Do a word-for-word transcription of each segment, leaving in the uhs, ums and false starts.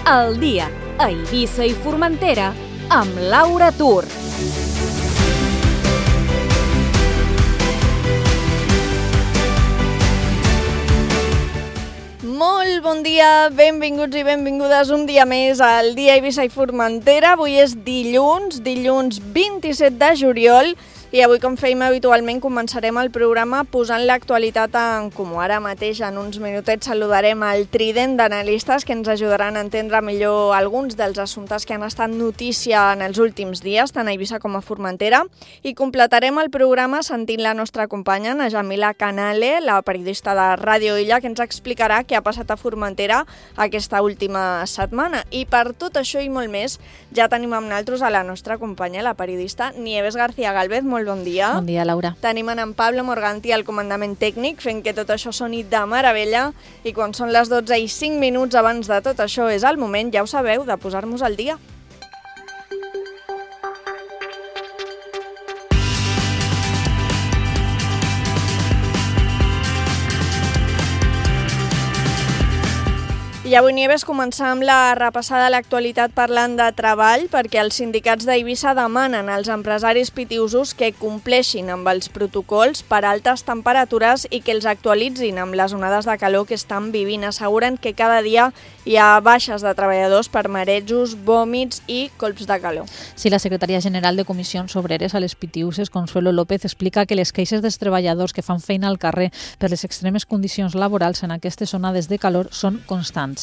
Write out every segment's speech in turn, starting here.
al dia a Eivissa i Formentera amb Laura Tur. Molt bon dia, benvinguts i benvingudes un dia més al dia a Eivissa i Formentera. Avui és dilluns, dilluns vint-i-set de juliol, i avui, com fèiem habitualment, començarem el programa posant l'actualitat en comú. Ara mateix, en uns minutets, saludarem el trident d'analistes que ens ajudaran a entendre millor alguns dels assumptes que han estat notícia en els últims dies, tant a Eivissa com a Formentera, i completarem el programa sentint la nostra companya, na Jamila Canale, la periodista de Ràdio Illa, que ens explicarà què ha passat a Formentera aquesta última setmana. I per tot això i molt més, ja tenim amb nosaltres a la nostra companya, la periodista Nieves García Galvez. Molt bon dia. Bon dia, Laura. Tenim en Pablo Morganti al comandament tècnic, fent que tot això soni de meravella, i quan són les dotze i cinc minuts abans de tot això és el moment, ja ho sabeu, de posar-nos al dia. I avui, Nieves, començar amb la repassada de l'actualitat parlant de treball, perquè els sindicats d'Eivissa demanen als empresaris pitiusos que compleixin amb els protocols per altes temperatures i que els actualitzin amb les onades de calor que estan vivint. Asseguren que cada dia hi ha baixes de treballadors per marejos, vòmits i colps de calor. Sí, la secretària general de Comissions Obreres a les Pitiuses, Consuelo López, explica que les queixes dels treballadors que fan feina al carrer per les extremes condicions laborals en aquestes onades de calor són constants.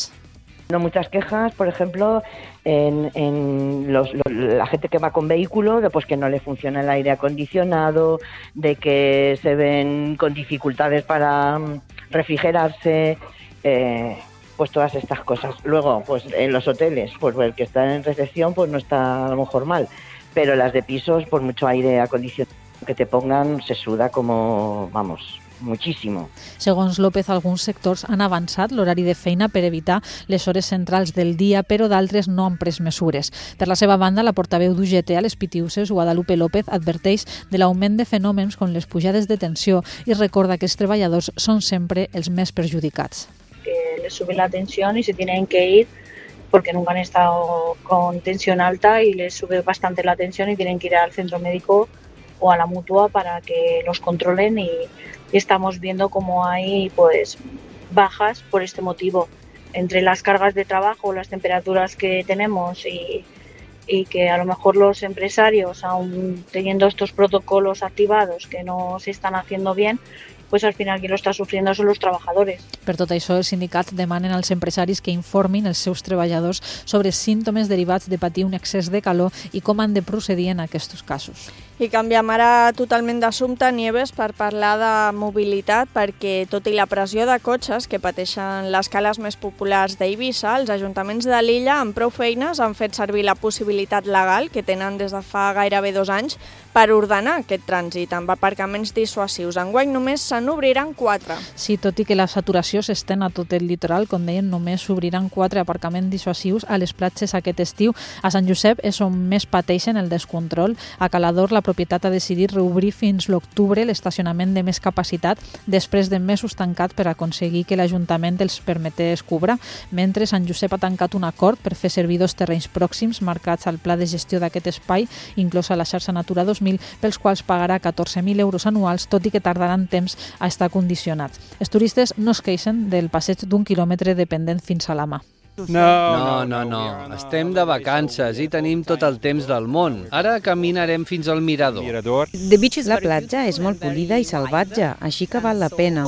No, muchas quejas, por ejemplo, en, en los, lo, la gente que va con vehículo, de pues que no le funciona el aire acondicionado, de que se ven con dificultades para refrigerarse, eh, pues todas estas cosas. Luego, pues en los hoteles, pues el que está en recepción, pues no está a lo mejor mal, pero las de pisos, por mucho aire acondicionado que te pongan, se suda como, vamos, muchísimo. Segons López, alguns sectors han avançat l'horari de feina per evitar les hores centrals del dia, però d'altres no han pres mesures. Per la seva banda, la portaveu d'U G T a les Pitiuses, Guadalupe López, adverteix de l'augment de fenòmens com les pujades de tensió i recorda que els treballadors són sempre els més perjudicats. Que les sube la tensión y se tienen que ir porque nunca han estado con tensión alta y les sube bastante la tensión y tienen que ir al centro médico o a la mutua para que los controlen, y, y estamos viendo cómo hay pues bajas por este motivo. Entre las cargas de trabajo, las temperaturas que tenemos y, y que a lo mejor los empresarios, aún teniendo estos protocolos activados que no se están haciendo bien, pues al final qui lo està sofriendo són els treballadors. Per tot això, els sindicats demanen als empresaris que informin els seus treballadors sobre símptomes derivats de patir un excés de calor i com han de procedir en aquests casos. I canviem ara totalment d'assumpte, Nieves, per parlar de mobilitat, perquè tot i la pressió de cotxes que pateixen les cales més populars d'Eivissa, els ajuntaments de l'illa amb prou feines han fet servir la possibilitat legal que tenen des de fa gairebé dos anys per ordenar aquest trànsit amb aparcaments dissuasius. Enguany només se n'obriran quatre. Sí, tot i que la saturació s'estén a tot el litoral, com deien, només s'obriran quatre aparcaments dissuasius a les platges aquest estiu. A Sant Josep és on més pateixen el descontrol. A Calador, la propietat ha decidit reobrir fins l'octubre l'estacionament de més capacitat després de mesos tancat per aconseguir que l'Ajuntament els permetés cobrar, mentre Sant Josep ha tancat un acord per fer servir dos terrenys pròxims marcats al pla de gestió d'aquest espai, inclosa la xarxa Natura dos mil, pels quals pagarà catorze mil euros anuals, tot i que tardaran temps a estar condicionats. Els turistes no es queixen del passeig d'un quilòmetre dependent fins a la mà. No, no, no, no. Estem de vacances i tenim tot el temps del món. Ara caminarem fins al mirador. La platja és molt polida i salvatge, així que val la pena.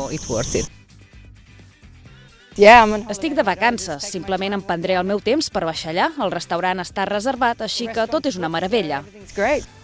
Estic de vacances, simplement em prendré el meu temps per baixar allà. El restaurant està reservat, així que tot és una meravella.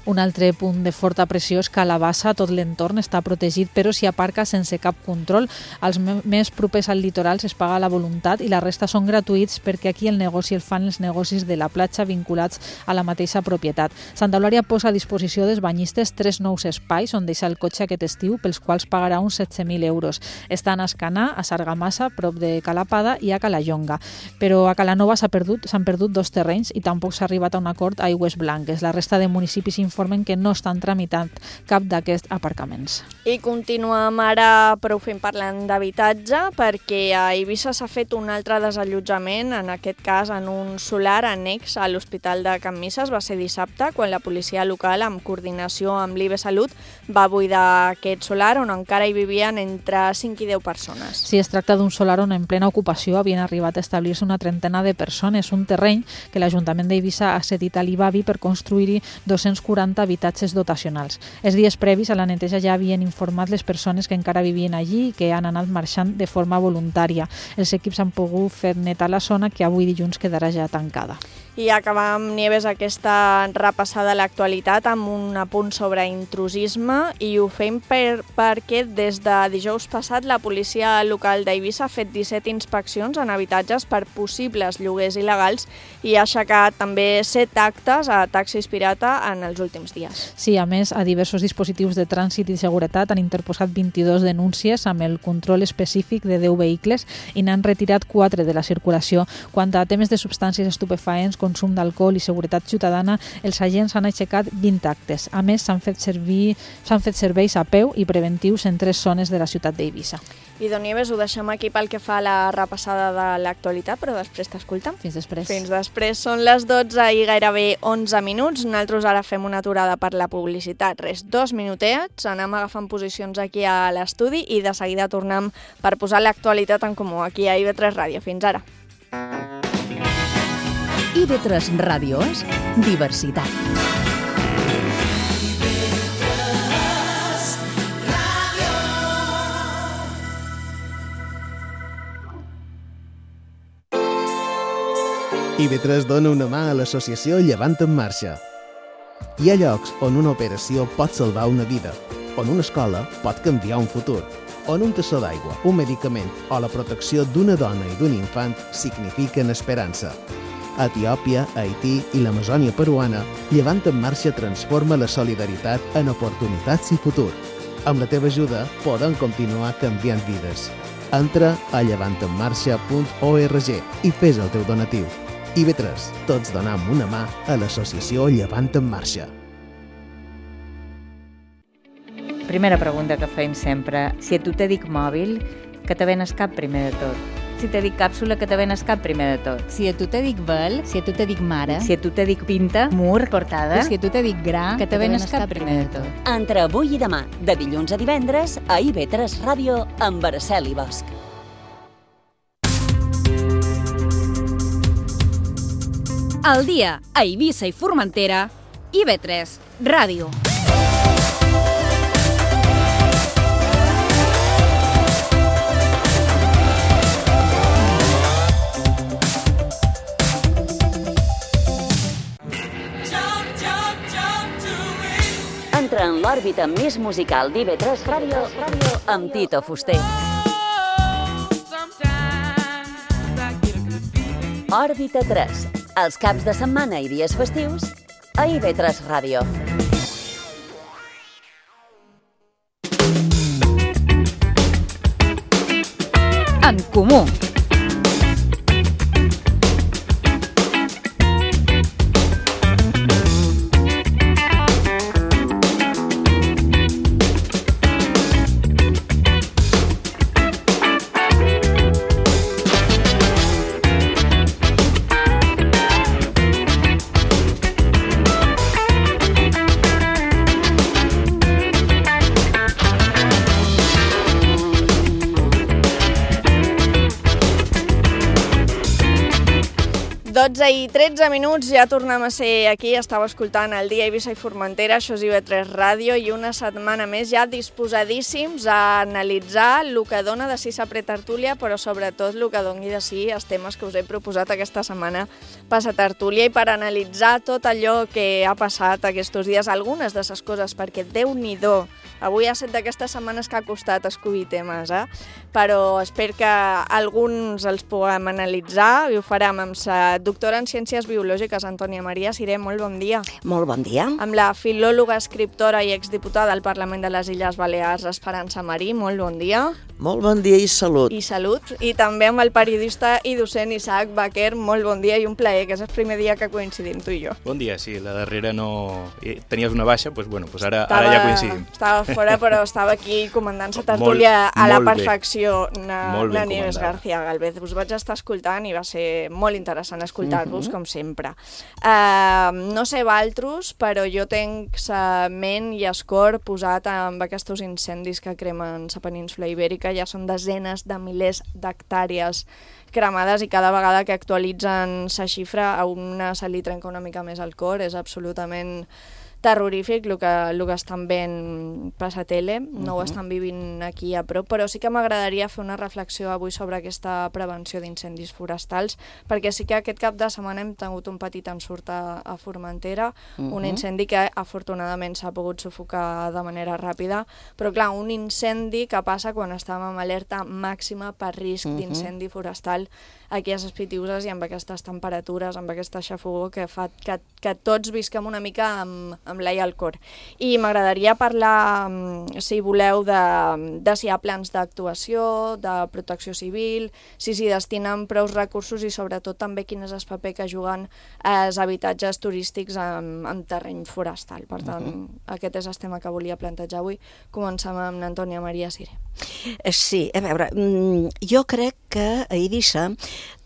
Un altre punt de forta pressió és que a la bassa tot l'entorn està protegit, però s'hi aparca sense cap control. Els més propers al litoral es paga la voluntat i la resta són gratuïts, perquè aquí el negoci el fan els negocis de la platja vinculats a la mateixa propietat. Santa Eulària posa a disposició dels banyistes tres nous espais on deixar el cotxe aquest estiu, pels quals pagarà uns setze mil euros. Estan a Escanar, a Sargamassa, prop de Calapada, i a Calallonga. Però a Calanova s'han perdut, s'han perdut dos terrenys i tampoc s'ha arribat a un acord a Aigües Blanques. La resta de municipis informen que no estan tramitant cap d'aquests aparcaments. I continuem ara, però ho fem parlant d'habitatge, perquè a Eivissa s'ha fet un altre desallotjament, en aquest cas en un solar annex a l'Hospital de Can Misses. Va ser dissabte, quan la policia local, amb coordinació amb l'I B Salut, va buidar aquest solar on encara hi vivien entre cinc i deu persones. Sí, es tracta d'un solar on en plena ocupació havien arribat a establir-se una trentena de persones, un terreny que l'Ajuntament d'Eivissa ha cedit a l'I B A B I per construir-hi dos-cents quaranta habitatges dotacionals. Els dies previs a la neteja ja havien informat les persones que encara vivien allí i que han anat marxant de forma voluntària. Els equips han pogut fer netar la zona, que avui dilluns quedarà ja tancada. I acabam, Nieves, aquesta repassada a l'actualitat amb un apunt sobre intrusisme, i ho fem per, perquè des de dijous passat la policia local d'Eivissa ha fet disset inspeccions en habitatges per possibles lloguers il·legals i ha aixecat també set actes a taxis pirata en els últims dies. Sí, a més, a diversos dispositius de trànsit i seguretat han interposat vint-i-dos denúncies amb el control específic de deu vehicles i n'han retirat quatre de la circulació. Quant a temes de substàncies estupefaents, consum d'alcohol i seguretat ciutadana, els agents han aixecat vint actes. A més, s'han fet servir, s'han fet serveis a peu i preventius en tres zones de la ciutat d'Eivissa. I, Don Nieves, ho deixem aquí pel que fa a la repassada de l'actualitat, però després t'escoltem. Fins després. Fins després. Són les dotze i gairebé onze minuts. Nosaltres ara fem una aturada per la publicitat. Res, dos minutets, anem agafant posicions aquí a l'estudi i de seguida tornem per posar l'actualitat en comú aquí a I B tres Ràdio. Fins ara. I B tres Ràdio és diversitat. I B tres dona una mà a l'associació Llevant en Marxa. Hi ha llocs on una operació pot salvar una vida, on una escola pot canviar un futur, on un tassó d'aigua, un medicament o la protecció d'una dona i d'un infant signifiquen esperança. A Etiòpia, Haití i l'Amazònia peruana, Llevant en Marxa transforma la solidaritat en oportunitats i futur. Amb la teva ajuda podem continuar canviant vides. Entra a llevant en marxa punt org i fes el teu donatiu. I B tres, tots donem una mà a l'associació Llevant en Marxa. Primera pregunta que fem sempre. Si a tu te dic mòbil, que te venes cap primer de tot? Si te dic càpsula, que te venes cap primer de tot? Si a tu te dic vel, si a tu te dic mare, si a tu te dic pinta, mur, portada, si a tu te dic gra, que te venes cap primer de tot? Entre avui i demà, de dilluns a divendres, a I B tres Ràdio, amb Araceli Bosch. Al dia, a Eivissa i Formentera, I B tres Ràdio. Entra en l'òrbita més musical d'I B tres Ràdio amb Tito Fuster. Òrbita tres, els caps de setmana i dies festius a I B tres Ràdio. En comú. dotze i tretze minuts, ja tornem a ser aquí, estava escoltant el dia Eivissa i Formentera, això és I B tres Ràdio, i una setmana més ja disposadíssims a analitzar el que dona de si sa pretertúlia, però sobretot el que doni de si els temes que us he proposat aquesta setmana per sa tertúlia, i per analitzar tot allò que ha passat aquests dies, algunes de ses coses, perquè Déu-n'hi-do, avui ha set d'aquestes setmanes que ha costat escollir temes, eh? però espero que alguns els puguem analitzar i ho farem amb la doctora en Ciències Biològiques, Antònia Maria Siré. Molt bon dia. Molt bon dia. Amb la filòloga, escriptora i exdiputada al Parlament de les Illes Balears, Esperança Marí. Molt bon dia. Molt bon dia i salut. I salut. I també amb el periodista i docent Isaac Baquer. Molt bon dia i un plaer, que és el primer dia que coincidim tu i jo. Bon dia, sí, la darrera no... Tenies una baixa, doncs bueno, doncs ara, estava, ara ja coincidim. Estava fora, però estava aquí comandant la tertúlia molt, a la perfecció. Na, na Nieves García Galvez. Us vaig estar escoltant i va ser molt interessant escoltar-vos, uh-huh. com sempre. Uh, no sé valtros, però jo tenc la ment i el cor posat amb aquests incendis que cremen la península Ibèrica. Ja són desenes de milers d'hectàrees cremades i cada vegada que actualitzen la xifra a una se li trenca una mica més el cor. És absolutament terrorífic el que, el que estan veient per la tele, no uh-huh. ho estan vivint aquí a prop, però sí que m'agradaria fer una reflexió avui sobre aquesta prevenció d'incendis forestals, perquè sí que aquest cap de setmana hem tingut un petit ensurt a, a Formentera, uh-huh. un incendi que afortunadament s'ha pogut sufocar de manera ràpida, però clar, un incendi que passa quan estàvem amb alerta màxima per risc uh-huh. d'incendi forestal aquí a les Pitiüses i amb aquestes temperatures, amb aquesta xafogor que fa que, que tots visquem una mica amb, amb l'ai al cor. I m'agradaria parlar, si voleu, de, de si hi ha plans d'actuació, de protecció civil, si s'hi destinen prou recursos i sobretot també quin és el paper que juguen els habitatges turístics en, en terreny forestal. Per tant, uh-huh. aquest és el tema que volia plantejar avui. Comencem amb Antònia Maria Siré. Sí, a veure, jo crec que a Eivissa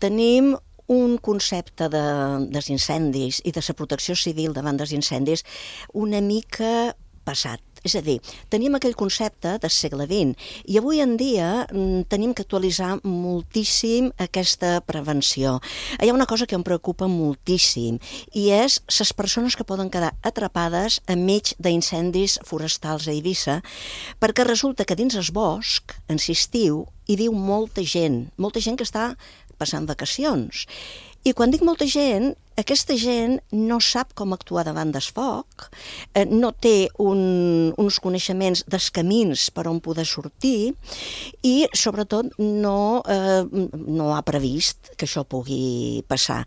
tenim un concepte de, dels incendis i de la protecció civil davant dels incendis una mica passat. És a dir, tenim aquell concepte del segle vint i avui en dia tenim que actualitzar moltíssim aquesta prevenció. Hi ha una cosa que em preocupa moltíssim i és les persones que poden quedar atrapades enmig d'incendis forestals a Eivissa, perquè resulta que dins el bosc, en l'estiu, hi viu molta gent, molta gent que està passant vacacions. I quan dic molta gent, aquesta gent no sap com actuar davant del foc, eh, no té un, uns coneixements dels camins per on poder sortir i, sobretot, no, eh, no ha previst que això pugui passar.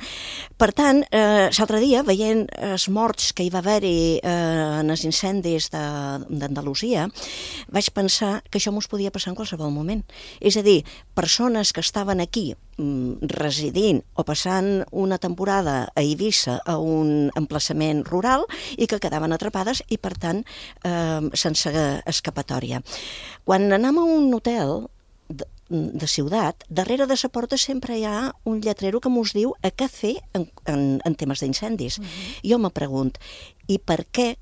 Per tant, eh, l'altre dia, veient els morts que hi va haver-hi eh, en els incendis d'Andalusia, vaig pensar que això mos podia passar en qualsevol moment. És a dir, persones que estaven aquí residint o passant una temporada a Eivissa a un emplaçament rural i que quedaven atrapades i, per tant, eh, sense escapatòria. Quan anem a un hotel de, de ciutat, darrere de la porta sempre hi ha un lletrero que mos diu a què fer en, en, en temes d'incendis. Uh-huh. Jo me pregunto, i per què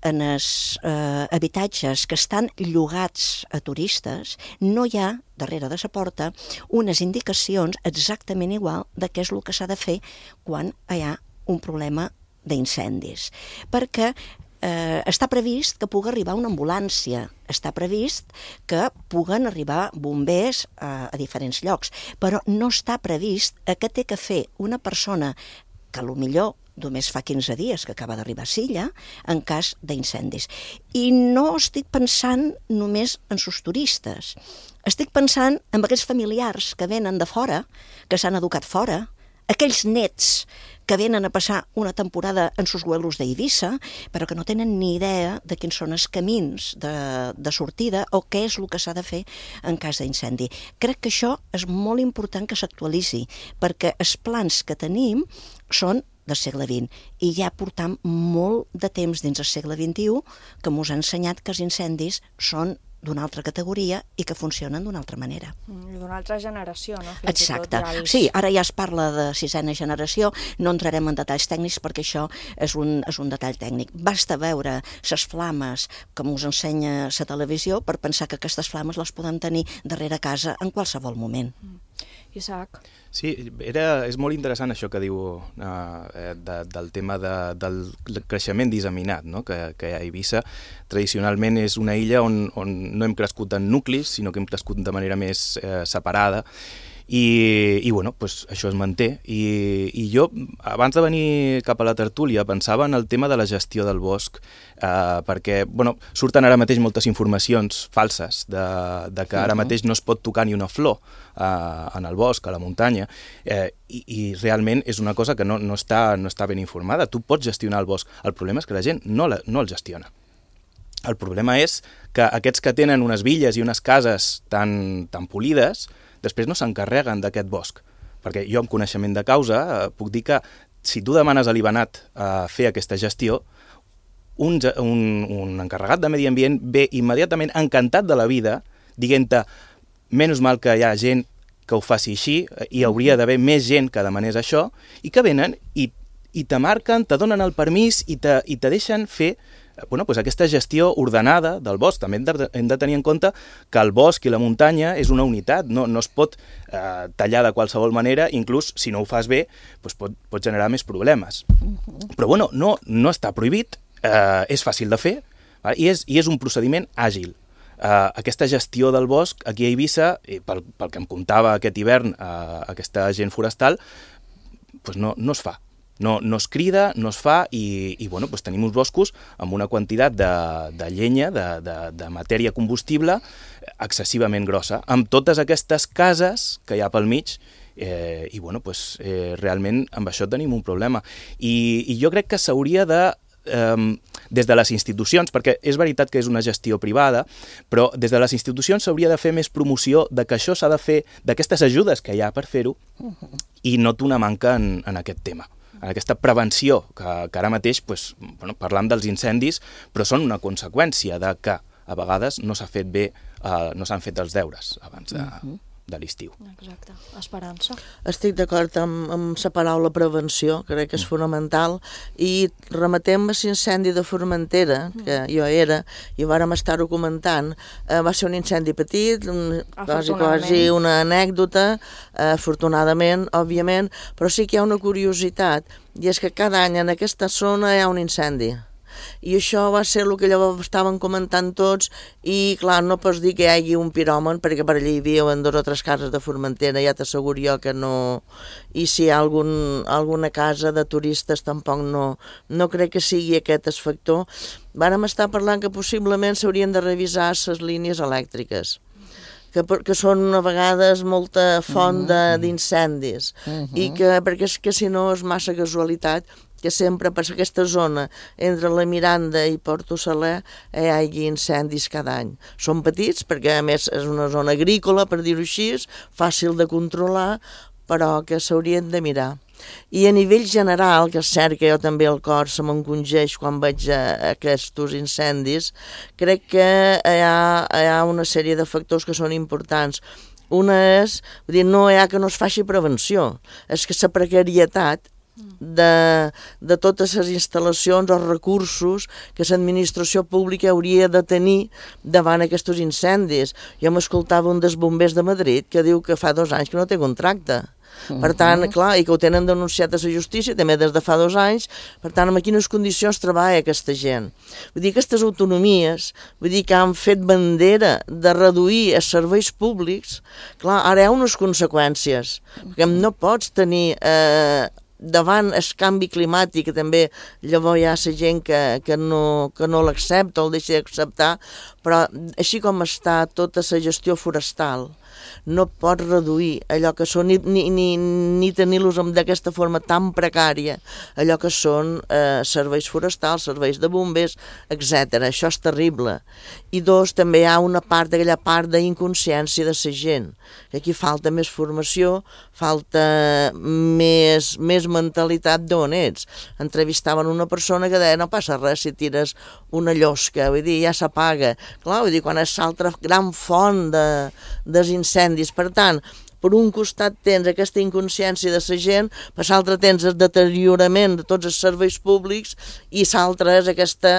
en els eh, habitatges que estan llogats a turistes no hi ha, darrere de la porta, unes indicacions exactament igual de què és el que s'ha de fer quan hi ha un problema d'incendis. Perquè eh, està previst que pugui arribar una ambulància, està previst que puguen arribar bombers a, a diferents llocs, però no està previst a què té que fer una persona que potser només fa quinze dies que acaba d'arribar a Silla, en cas d'incendis. I no estic pensant només en sos turistes. Estic pensant en aquells familiars que venen de fora, que s'han educat fora, aquells nets que venen a passar una temporada en sos huelos d'Eivissa, però que no tenen ni idea de quins són els camins de, de sortida o què és el que s'ha de fer en cas d'incendi. Crec que això és molt important que s'actualitzi, perquè els plans que tenim són del segle vint, i ja portam molt de temps dins del segle vint-i-u que mos ha ensenyat que els incendis són d'una altra categoria i que funcionen d'una altra manera. I d'una altra generació, no? Fins Exacte. Ja els... Sí, ara ja es parla de sisena generació, no entrarem en detalls tècnics perquè això és un, és un detall tècnic. Basta veure les flames que us ensenya la televisió per pensar que aquestes flames les podem tenir darrere casa en qualsevol moment. Mm. Isaac? Sí, era, és molt interessant això que diu uh, de, del tema de, del creixement disseminat, no? que, que a Eivissa tradicionalment és una illa on, on no hem crescut en nuclis, sinó que hem crescut de manera més eh, separada, I, i bueno, pues això es manté. I, I jo, abans de venir cap a la tertúlia, pensava en el tema de la gestió del bosc, eh, perquè bueno, surten ara mateix moltes informacions falses de, de que ara mateix no es pot tocar ni una flor eh, en el bosc, a la muntanya, eh, i, i realment és una cosa que no, no, està, no està ben informada. Tu pots gestionar el bosc, el problema és que la gent no, la, no el gestiona. El problema és que aquests que tenen unes villes i unes cases tan, tan polides, després no s'encarreguen d'aquest bosc. Perquè jo, amb coneixement de causa, eh, puc dir que si tu demanes a l'Ibanat a fer aquesta gestió, un, un, un encarregat de medi ambient ve immediatament encantat de la vida, dient-te, menys mal que hi ha gent que ho faci així, hi hauria d'haver més gent que demanés això, i que venen i, i te marquen, te donen el permís i te, i te deixen fer bueno, pues aquesta gestió ordenada del bosc. També hem de, hem de tenir en compte que el bosc i la muntanya és una unitat, no, no es pot eh, tallar de qualsevol manera, inclús si no ho fas bé pues pot, pot generar més problemes. Uh-huh. Però bueno, no, no està prohibit, eh, és fàcil de fer, val? I, és, i és un procediment àgil. Uh, aquesta gestió del bosc aquí a Eivissa, i pel, pel que em contava aquest hivern uh, aquesta gent forestal, pues no, no es fa. No, no es crida, no es fa i, i bueno, pues tenim uns boscos amb una quantitat de, de llenya, de, de, de matèria combustible excessivament grossa, amb totes aquestes cases que hi ha pel mig eh, i bueno, pues, eh, realment amb això tenim un problema. I, i jo crec que s'hauria de Um, des de les institucions, perquè és veritat que és una gestió privada, però des de les institucions s'hauria de fer més promoció de que això s'ha de fer, d'aquestes ajudes que hi ha per fer-ho, i noto una manca en, en aquest tema, en aquesta prevenció, que, que ara mateix pues, bueno, parlam dels incendis, però són una conseqüència de que a vegades no s'ha fet bé, uh, no s'han fet els deures abans de... Uh-huh. de l'estiu. Exacte. Esperança. Estic d'acord amb, amb la paraula prevenció, crec que és fonamental, i remetem a l'incendi de Formentera, que jo era, i vàrem estar-ho comentant, eh, va ser un incendi petit, un, quasi, quasi una anècdota, eh, afortunadament, òbviament, però sí que hi ha una curiositat, i és que cada any en aquesta zona hi ha un incendi. I això va ser el que llavors estaven comentant tots i clar, no pots dir que hi hagi un piròman perquè per allà hi viuen dues o tres cases de Formentera, ja t'asseguro jo que no, i si hi ha algun, alguna casa de turistes tampoc no, no crec que sigui aquest el factor. Vàrem estar parlant que possiblement s'haurien de revisar les línies elèctriques, que, que són a vegades molta font d'incendis, uh-huh. i que perquè és que si no és massa casualitat que sempre per aquesta zona entre la Miranda i Porto Saler hi hagi incendis cada any. Són petits perquè a més és una zona agrícola, per dir-ho així, fàcil de controlar, però que s'haurien de mirar. I a nivell general, que és cert que jo també el cor se m'encongeix quan veig aquests incendis, crec que hi ha, hi ha una sèrie de factors que són importants. Una és, vull dir, no hi ha que no es faci prevenció, és que la precarietat de, de totes les instal·lacions o recursos que l'administració pública hauria de tenir davant aquests incendis. Jo m'escoltava un dels bombers de Madrid que diu que fa dos anys que no té contracte. Per tant, clar, i que ho tenen denunciat a la justícia també des de fa dos anys, per tant, en quines condicions treballa aquesta gent. Vull dir, aquestes autonomies, vull dir que han fet bandera de reduir els serveis públics, clar, ara hi ha unes conseqüències, perquè no pots tenir... Eh, davant el canvi climàtic, que també llavors hi ha la gent que, que no, que no l'accepta o el deixa d'acceptar, però així com està tota la gestió forestal, no pots reduir allò que són, ni, ni, ni, ni tenir-los d'aquesta forma tan precària, allò que són eh, serveis forestals, serveis de bombers, etcètera. Això és terrible. I dos, també hi ha una part, aquella part d'inconsciència de la gent, que aquí falta més formació, falta més, més mentalitat d'on ets. Entrevistaven una persona que deia, no passa res si tires una llosca, vull dir, ja s'apaga. Clar, vull dir, quan és l'altra gran font de, dels incendis. Per tant, per un costat tens aquesta inconsciència de la gent, per l'altre tens el deteriorament de tots els serveis públics i l'altre és aquesta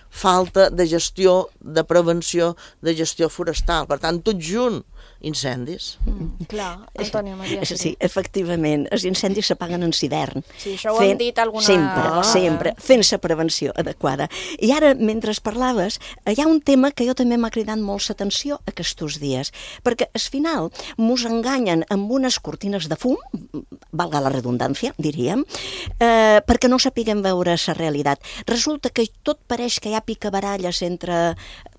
falta de gestió, de prevenció, de gestió forestal. Per tant, tot junt incendis. Mm, clar, Antònia Maria. Sí, efectivament, els incendis s'apaguen en hivern. Sí, això ho hem dit alguna Sempre, vegada. sempre, fent-se prevenció adequada. I ara, mentre parlaves, hi ha un tema que jo també m'ha cridat molt l'atenció aquests dies, perquè al final mos enganyen amb unes cortines de fum, valga la redundància, diríem, eh, perquè no sapiguem veure la realitat. Resulta que tot pareix que hi ha picabaralles entre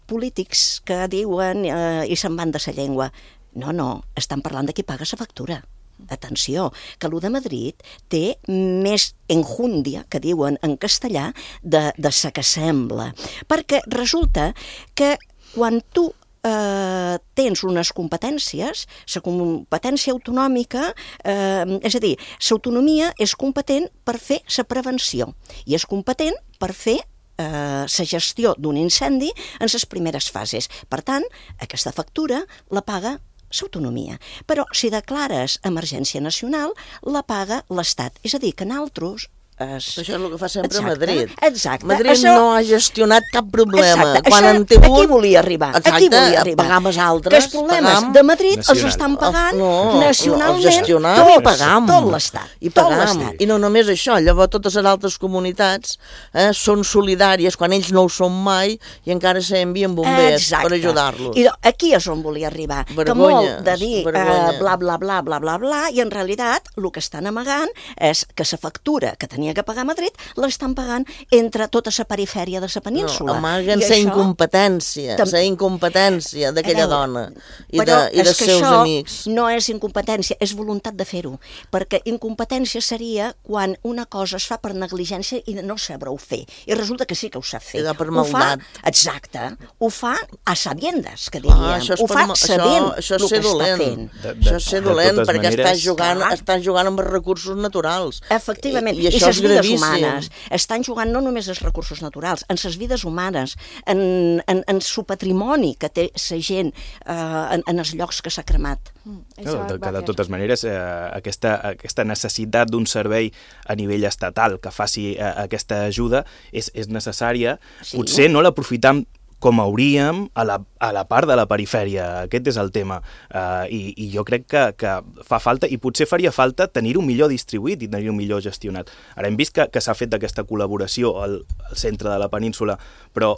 polítics que diuen eh, i se'n van de la llengua. No, no, estan parlant de qui paga la factura. Atenció, que l'U de Madrid té més enjúndia, que diuen en castellà, de, de sa que sembla. Perquè resulta que quan tu eh, tens unes competències, la competència autonòmica, eh, és a dir, l'autonomia és competent per fer la prevenció i és competent per fer la eh, gestió d'un incendi en les primeres fases. Per tant, aquesta factura la paga l'autonomia. Però si declares emergència nacional, la paga l'Estat. És a dir, que nosaltres... Es... Això és el que fa sempre exacte, Madrid. Exacte. Madrid això... no ha gestionat cap problema. Exacte. Quan això, han tingut... Aquí volia arribar. Exacte, aquí volia arribar. Pagar els altres. Que els problemes pagam... de Madrid Nacional. els estan pagant no, nacionalment els gestionam tot, i pagam. tot l'Estat. I pagam. I no només això, llavors totes les altres comunitats eh, són solidàries quan ells no ho són mai i encara s'envien bombers exacte. Per ajudar-los. I aquí és on volia arribar. Vergonyes, que molt de dir eh, bla, bla, bla, bla, bla, bla, i en realitat el que estan amagant és que la factura que tenia que pagar Madrid l'estan pagant entre tota la perifèria de la península. No, amaguen la això... incompetència, la Tam... incompetència d'aquella veure, dona i, però de, i dels seus això amics. No és incompetència, és voluntat de fer-ho, perquè incompetència seria quan una cosa es fa per negligència i no saber-ho fer, i resulta que sí que ho sap fer. I per ho fa, maldat. exacte, ho fa a sabiendes, que diríem, ah, ho fa per, sabent això, això el que dolent. està fent. De, de, això és ser dolent, perquè maneres... està jugant, està jugant amb els recursos naturals. Efectivament, i, i, i això les és vides gravíssim. humanes. Estan jugant no només els recursos naturals, en les vides humanes, en, en, en su patrimoni que té la gent eh, en, en els llocs que s'ha cremat. Mm, no, de, que de totes maneres eh, aquesta, aquesta necessitat d'un servei a nivell estatal que faci eh, aquesta ajuda és, és necessària. Sí. Potser no l'aprofitam com hauríem a la, a la part de la perifèria. Aquest és el tema. Uh, i, I jo crec que, que fa falta, i potser faria falta tenir-ho millor distribuït i tenir-ho millor gestionat. Ara hem vist que, que s'ha fet d'aquesta col·laboració al, al centre de la península, però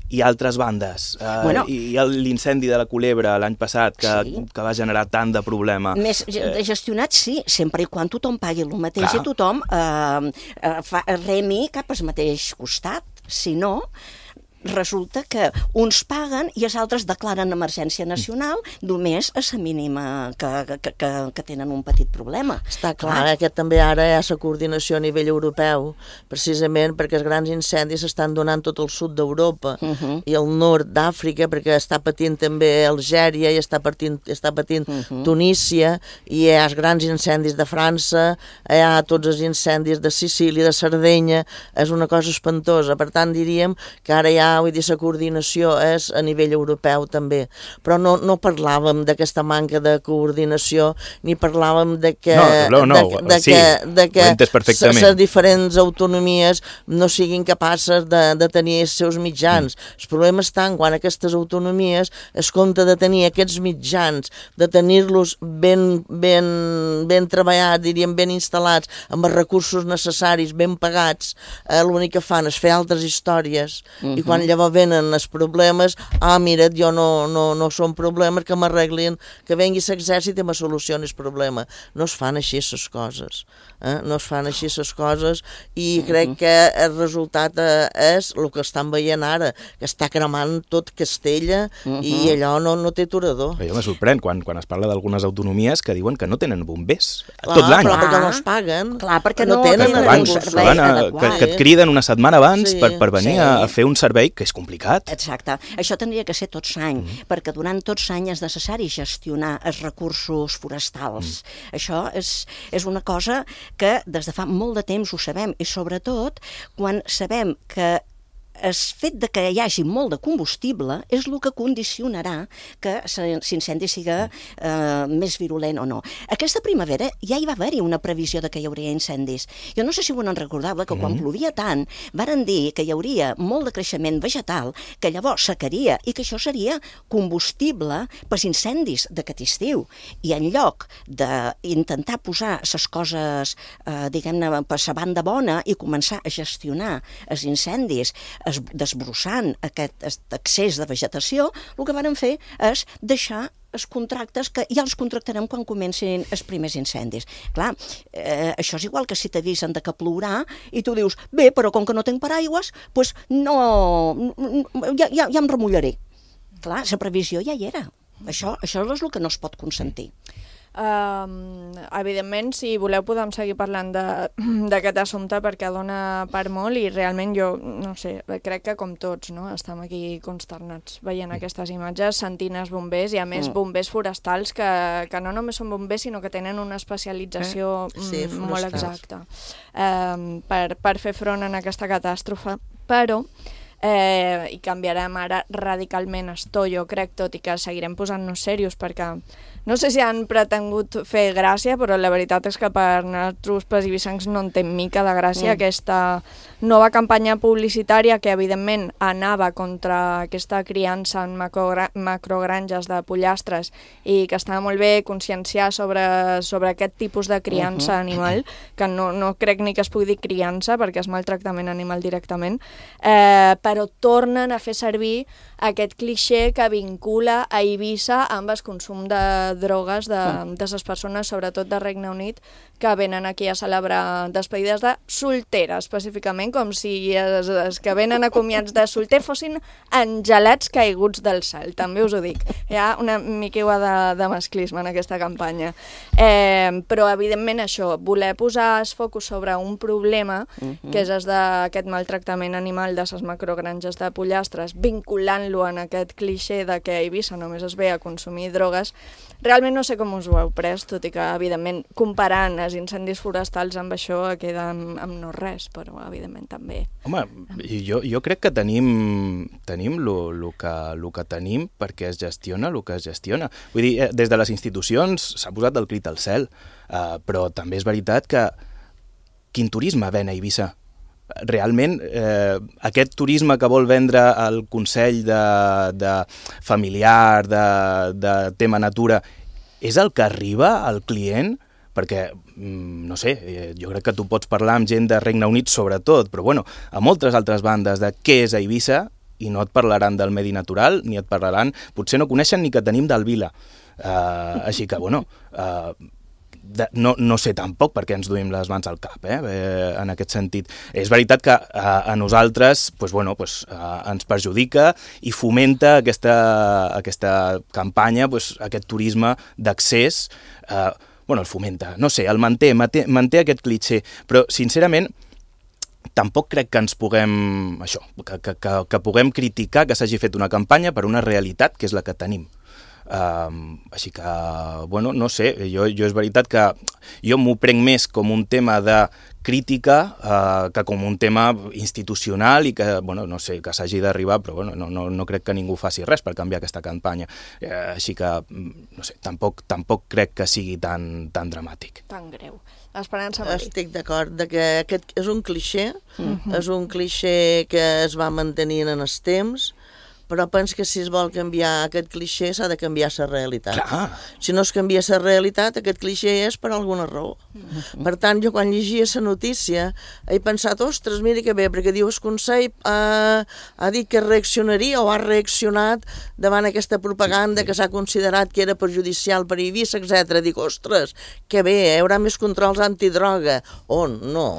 hi ha altres bandes. Uh, bueno, hi ha l'incendi de la Culebra l'any passat que, sí. que va generar tant de problema. Més de gestionat, sí, sempre i quan tothom pagui el mateix clar. I tothom eh, eh, fa, remi cap al mateix costat. Si no, resulta que uns paguen i els altres declaren emergència nacional només a la mínima que, que, que, que tenen un petit problema. Està clar, clar. que també ara hi ha la coordinació a nivell europeu, precisament perquè els grans incendis s'estan donant tot el sud d'Europa uh -huh. i el nord d'Àfrica, perquè està patint també Algèria i està patint, està patint uh -huh. Tunísia, i hi ha els grans incendis de França, hi ha tots els incendis de Sicília, de Sardenya, és una cosa espantosa. Per tant, diríem que ara hi ha vull dir, la coordinació és a nivell europeu també, però no, no parlàvem d'aquesta manca de coordinació, ni parlàvem de que, no, no, no, de, de sí, que, de que les diferents autonomies no siguin capaces de, de tenir els seus mitjans. Mm. El problema està quan aquestes autonomies es compta de tenir aquests mitjans, de tenir-los ben, ben, ben treballats, diríem ben instal·lats, amb els recursos necessaris, ben pagats, eh, l'únic que fan és fer altres històries, mm-hmm. i quan llavors venen els problemes, ah, mira't, jo no, no, no són problemes, que m'arreglin, que vengui l'exèrcit i me solucioni el problema. No es fan així les coses, eh? no es fan així les coses, i crec que el resultat eh, és el que estan veient ara, que està cremant tot Castella, uh-huh. i allò no, no té aturador. Jo me sorprèn quan, quan es parla d'algunes autonomies que diuen que no tenen bombers clar, tot l'any. Clar, perquè no els paguen. Clar, perquè no, no tenen tenen abans, un servei a, adequat. Que, que et criden una setmana abans sí, per, per venir sí. a, a fer un servei que és complicat. Exacte. Això tindria que ser tots l'any, mm. perquè durant tots l'any és necessari gestionar els recursos forestals. Mm. Això és, és una cosa que des de fa molt de temps ho sabem, i sobretot quan sabem que el fet de que hi hagi molt de combustible és el que condicionarà que l'incendi siga eh, més virulent o no. Aquesta primavera ja hi va haver-hi una previsió de que hi hauria incendis. Jo no sé si ho en recordava, que quan mm. plovia tant, varen dir que hi hauria molt de creixement vegetal, que llavors secaria i que això seria combustible pels incendis d'aquest estiu. I en lloc d'intentar posar les coses, eh, diguem-ne, per la banda bona i començar a gestionar els incendis, es, desbrossant aquest excés de vegetació, el que varen fer és deixar els contractes que ja els contractarem quan comencin els primers incendis. Clar, eh, això és igual que si t'avisen de que plourà i tu dius, bé, però com que no tinc paraigües, doncs no, ja, ja, ja em remullaré. Clar, la previsió ja hi era. Això, això és el que no es pot consentir. Uh, evidentment, si voleu podem seguir parlant d'aquest assumpte perquè dona per molt i realment jo, no sé, crec que com tots, no? Estem aquí consternats veient aquestes imatges, sentint els bombers i a més bombers forestals que, que no només són bombers sinó que tenen una especialització eh? sí, molt exacta uh, per, per fer front en aquesta catàstrofe, però Eh, i canviarem ara radicalment esto, jo crec, tot i que seguirem posant-nos serios perquè no sé si han pretengut fer gràcia, però la veritat és que per nosaltres pels ibicencs no en té mica de gràcia mm. aquesta nova campanya publicitària que evidentment anava contra aquesta criança en macrogra macrogranges de pollastres i que estava molt bé conscienciar sobre, sobre aquest tipus de criança uh -huh. animal, que no, no crec ni que es pugui dir criança perquè és maltractament animal directament, eh, però tornen a fer servir aquest clixé que vincula a Eivissa amb el consum de drogues de, de les persones, sobretot de Regne Unit, que venen aquí a celebrar despedides de soltera, específicament, com si els, els que venen acomiats de solter fossin angelats caiguts del cel, també us ho dic. Hi ha una miqueua de, de masclisme en aquesta campanya. Eh, però, evidentment, això, voler posar el focus sobre un problema, uh-huh. que és el d'aquest maltractament animal de les macrogranges de pollastres, vinculant-lo en aquest clixé de que a Eivissa només es ve a consumir drogues, realment no sé com us ho heu pres, tot i que, evidentment, comparant els incendis forestals amb això queda amb, amb no res, però, evidentment, també. Home, jo, jo crec que tenim tenim lo, lo, que, lo que tenim perquè es gestiona el que es gestiona. Vull dir, des de les institucions s'ha posat el crit al cel, uh, però també és veritat que quin turisme ven a Eivissa? Realment, eh, aquest turisme que vol vendre el Consell de, de familiar, de, de tema natura, és el que arriba al client? Perquè, no sé, jo crec que tu pots parlar amb gent de Regne Unit sobretot, però bueno, a moltes altres bandes de què és a Eivissa i no et parlaran del medi natural, ni et parlaran, potser no coneixen ni que tenim del Vila. Uh, així que, bueno... Uh, De, no, no sé tampoc perquè ens duim les mans al cap, eh, eh, en aquest sentit. És veritat que a, a nosaltres pues, bueno, pues, a, ens perjudica i fomenta aquesta, aquesta campanya, pues, aquest turisme d'accés, eh, bueno, el fomenta, no sé, el manté, manté, manté aquest clitxer, però sincerament tampoc crec que ens puguem, això, que, que, que, que puguem criticar que s'hagi fet una campanya per una realitat que és la que tenim. Uh, així que, bueno, no sé, jo, jo és veritat que jo m'ho prenc més com un tema de crítica uh, que com un tema institucional i que, bueno, no sé, que s'hagi d'arribar, però bueno, no, no, no crec que ningú faci res per canviar aquesta campanya. Uh, així que, no sé, tampoc, tampoc crec que sigui tan, tan dramàtic. Tan greu. Esperança Marí. Estic d'acord de que aquest és un clixé, uh-huh. és un clixé que es va mantenint en els temps, però penso que si es vol canviar aquest clixé s'ha de canviar la realitat. Clar. Si no es canvia la realitat, aquest clixé és per alguna raó. Mm-hmm. Per tant, jo quan llegia la notícia he pensat, ostres, mira que bé, perquè diu el Consell ha, ha dit que reaccionaria o ha reaccionat davant aquesta propaganda que s'ha considerat que era perjudicial per Eivissa, etcètera. Dic, ostres, que bé, hi haurà més controls antidroga. Oh, no,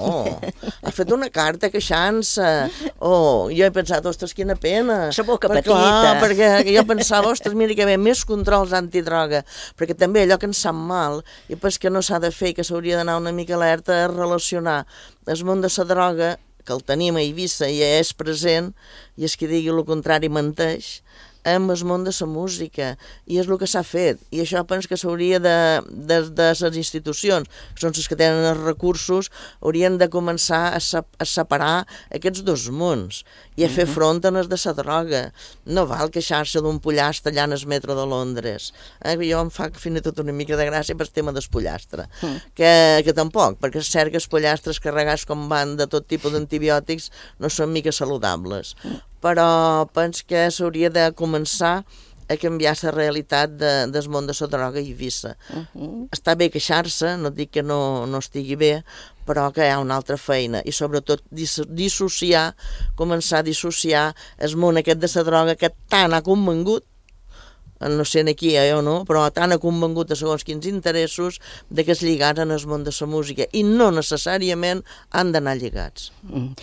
ha fet una carta queixant-se. Oh, jo he pensat, ostres, quina pena. La boca petita. Clar, perquè jo pensava, ostres, mira que bé, més controls antidroga, perquè també allò que ens sap mal i pues que no s'ha de fer, que s'hauria d'anar una mica alerta és relacionar el món de la droga, que el tenim a Eivissa i és present, i és que digui el contrari menteix, amb el món de la música, i és el que s'ha fet, i això penso que s'hauria de, de, de les institucions, que són les que tenen els recursos, haurien de començar a, se, a separar aquests dos mons i a fer front a les de la droga. No val queixar-se d'un pollastre allà en el metro de Londres. Eh? Jo em fa fins i tot una mica de gràcia per el tema del pollastre, mm. que, que tampoc, perquè és cert que els pollastres carregats com van de tot tipus d'antibiòtics no són mica saludables, mm. però penso que s'hauria de començar a canviar la realitat de, del món de la droga i Eivissa. Uh -huh. Està bé queixar-se, no dic que no, no estigui bé, però que hi ha una altra feina, i sobretot dissociar, començar a dissociar el món aquest de la droga que tant ha convengut, no sé aquí eh, o no, però tant ha convengut a segons quins interessos de que es lligaren al món de la música, i no necessàriament han d'anar lligats. Mm.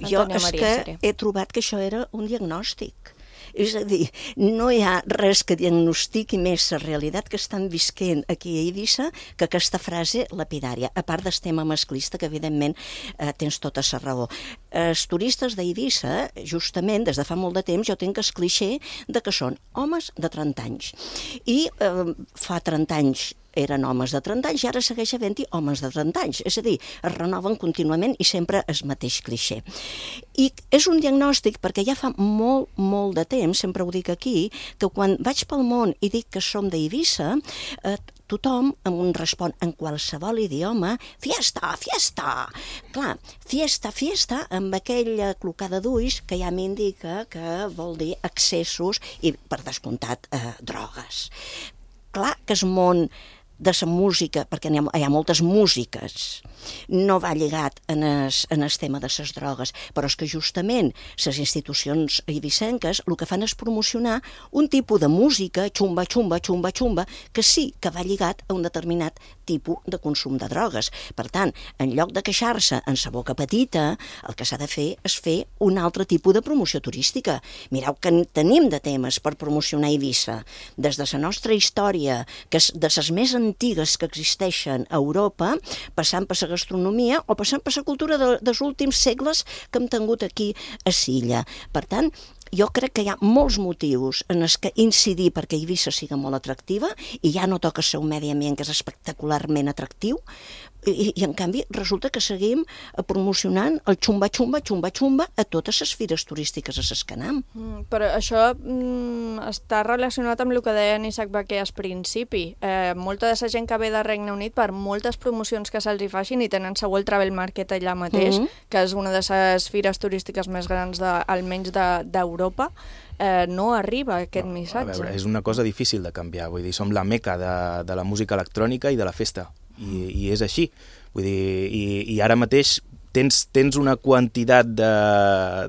Jo és que he trobat que això era un diagnòstic. És a dir, no hi ha res que diagnostiqui més la realitat que estan visquent aquí a Eivissa que aquesta frase lapidària, a part del tema masclista, que evidentment eh, tens tota la raó. Els turistes d'Eivissa, justament, des de fa molt de temps, jo tinc el clixé de que són homes de trenta anys. I eh, fa trenta anys eren homes de trenta anys i ara segueix havent-hi homes de trenta anys. És a dir, es renoven contínuament i sempre el mateix clixé. I és un diagnòstic perquè ja fa molt, molt de temps, sempre ho dic aquí, que quan vaig pel món i dic que som d'Eivissa, eh, tothom em respon en qualsevol idioma, fiesta, fiesta. Clar, fiesta, fiesta, amb aquella clocada d'ulls que ja m'indica que vol dir excessos i, per descomptat, eh, drogues. Clar que el món de la música, perquè hi ha, hi ha moltes músiques, no va lligat en el, en el tema de les drogues, però és que justament les institucions eivissenques el que fan és promocionar un tipus de música, xumba, xumba, xumba, xumba, que sí que va lligat a un determinat tipus de consum de drogues. Per tant, en lloc de queixar-se en sa boca petita, el que s'ha de fer és fer un altre tipus de promoció turística. Mireu que tenim de temes per promocionar Eivissa, des de la nostra història, que és de les més antigues que existeixen a Europa, passant per la gastronomia o passant per la cultura de, dels últims segles que hem tingut aquí a Silla. Per tant, jo crec que hi ha molts motius en els que incidir perquè Eivissa sigui molt atractiva, i ja no toca ser un medi ambient que és espectacularment atractiu, i, i en canvi resulta que seguim promocionant el xumba, xumba, xumba, xumba a totes les fires turístiques a les que anem. Mm, però això mm, està relacionat amb el que deia Isaac Baquer al principi. Eh, molta de la gent que ve de Regne Unit, per moltes promocions que se'ls hi facin, i tenen segur el Travel Market allà mateix, mm -hmm. que és una de les fires turístiques més grans, de, almenys d'Europa, eh, no arriba aquest no, missatge. A veure, és una cosa difícil de canviar, vull dir, som la meca de, de la música electrònica i de la festa. I, i és així, vull dir, i, i ara mateix tens, tens una quantitat de,